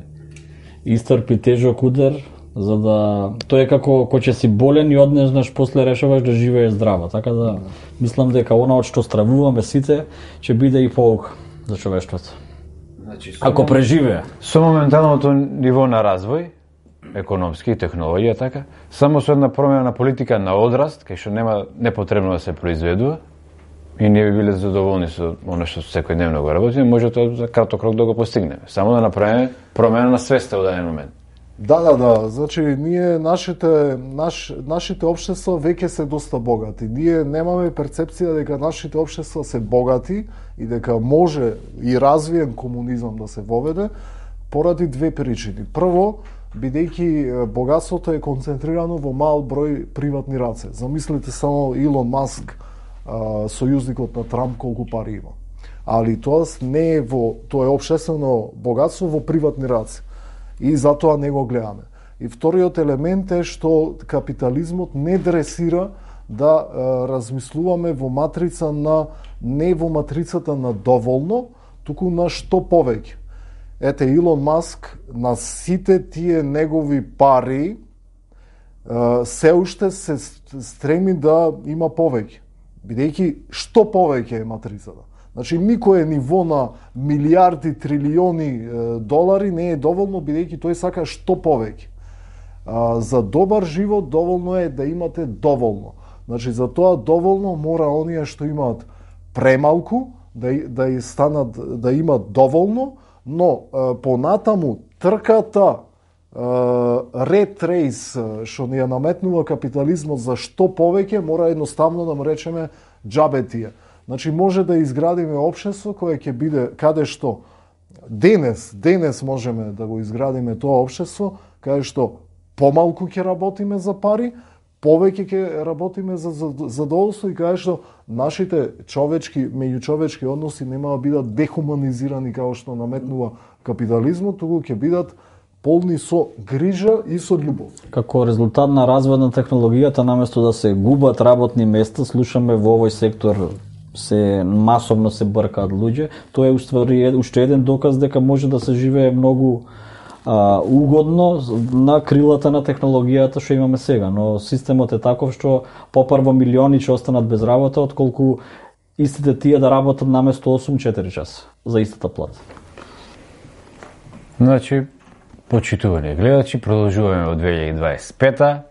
истрпи тежок удар, за да... Тоа е како кој ќе си болен и однезнаш после решаваш да живееш здраво. Така да, мислам дека она од што стравуваме сите, ќе биде и поука за човештвото. Значи, ако преживее. Со моменталното ниво на развој, економски и технологија така, само со една промена на политика на одраст, кај што нема непотребно да се произведува, и ние би биле задоволни со оно што секојдневно го работиме, може тоа за краток рок да го постигнеме. Само да направиме промена на свеста во даден момент. Да, да, да. Значи, ние, нашите, наш, нашите општества веќе се доста богати. Ние немаме перцепција дека нашите општества се богати и дека може и развиен комунизам да се воведе поради две причини. Прво, бидејќи богатството е концентрирано во мал број приватни раце. Замислите само Илон Маск, сојузникот на Трамп, колку пари има. Али тоа не е во, тоа е општествено богатство во приватни раце. И затоа не го гледаме. И вториот елемент е што капитализмот не дресира да е, размислуваме во матрица на, не во матрицата на доволно, туку на што повеќе. Ете, Илон Маск на сите тие негови пари е, се уште се стреми да има повеќе. Бидејќи што повеќе е матрицата. Значи, никое ниво на милиарди, трилиони е, долари не е доволно, бидејќи тој сака што повеќе. А, за добар живот доволно е да имате доволно. Значи, за тоа доволно мора оние што имаат премалку да, да и станат, да имат доволно, но е, понатаму трката ред рейс што ни ја наметнува капитализмот за што повеќе мора едноставно да му речеме џабе тие. Значи, може да изградиме општество кое ќе биде каде што денес, денес можеме да го изградиме тоа општество, каде што помалку ќе работиме за пари, повеќе ќе работиме за задоволство и каде што нашите човечки, меѓучовечки односи нема да бидат дехуманизирани како што наметнува капитализмот, туку ќе бидат полни со грижа и со љубов. Како резултат на развој на технологијата, наместо да се губат работни места, слушаме во овој сектор се масовно се бркаат луѓе. Тоа е уствари уште еден доказ дека може да се живее многу а, угодно на крилата на технологијата што имаме сега, но системот е таков што попрво милиони ќе останат без работа, отколку истите тие да работат наместо осум четири часа за истата плата. Значи, почитувани гледачи, продолжуваме во две илјади дваесет и пета.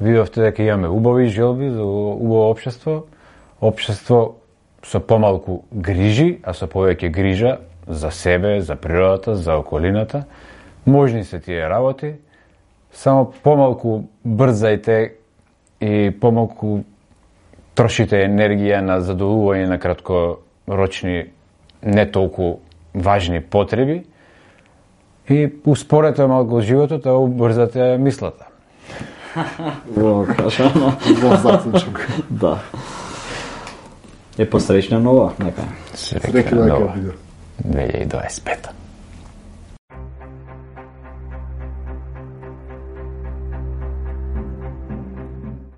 Видовте дека имаме убави желби за убаво општество. Општество со помалку грижи, а со повеќе грижа за себе, за природата, за околината. Можни се тие работи, само помалку брзајте и помалку трошите енергија на задоволување на краткорочни, не толку важни потреби и успорете малку животот, а убрзате мислата. Во кажано, во заклучок. Да. Е посречна нова, нека. Среќна нова две илјади дваесет и пета.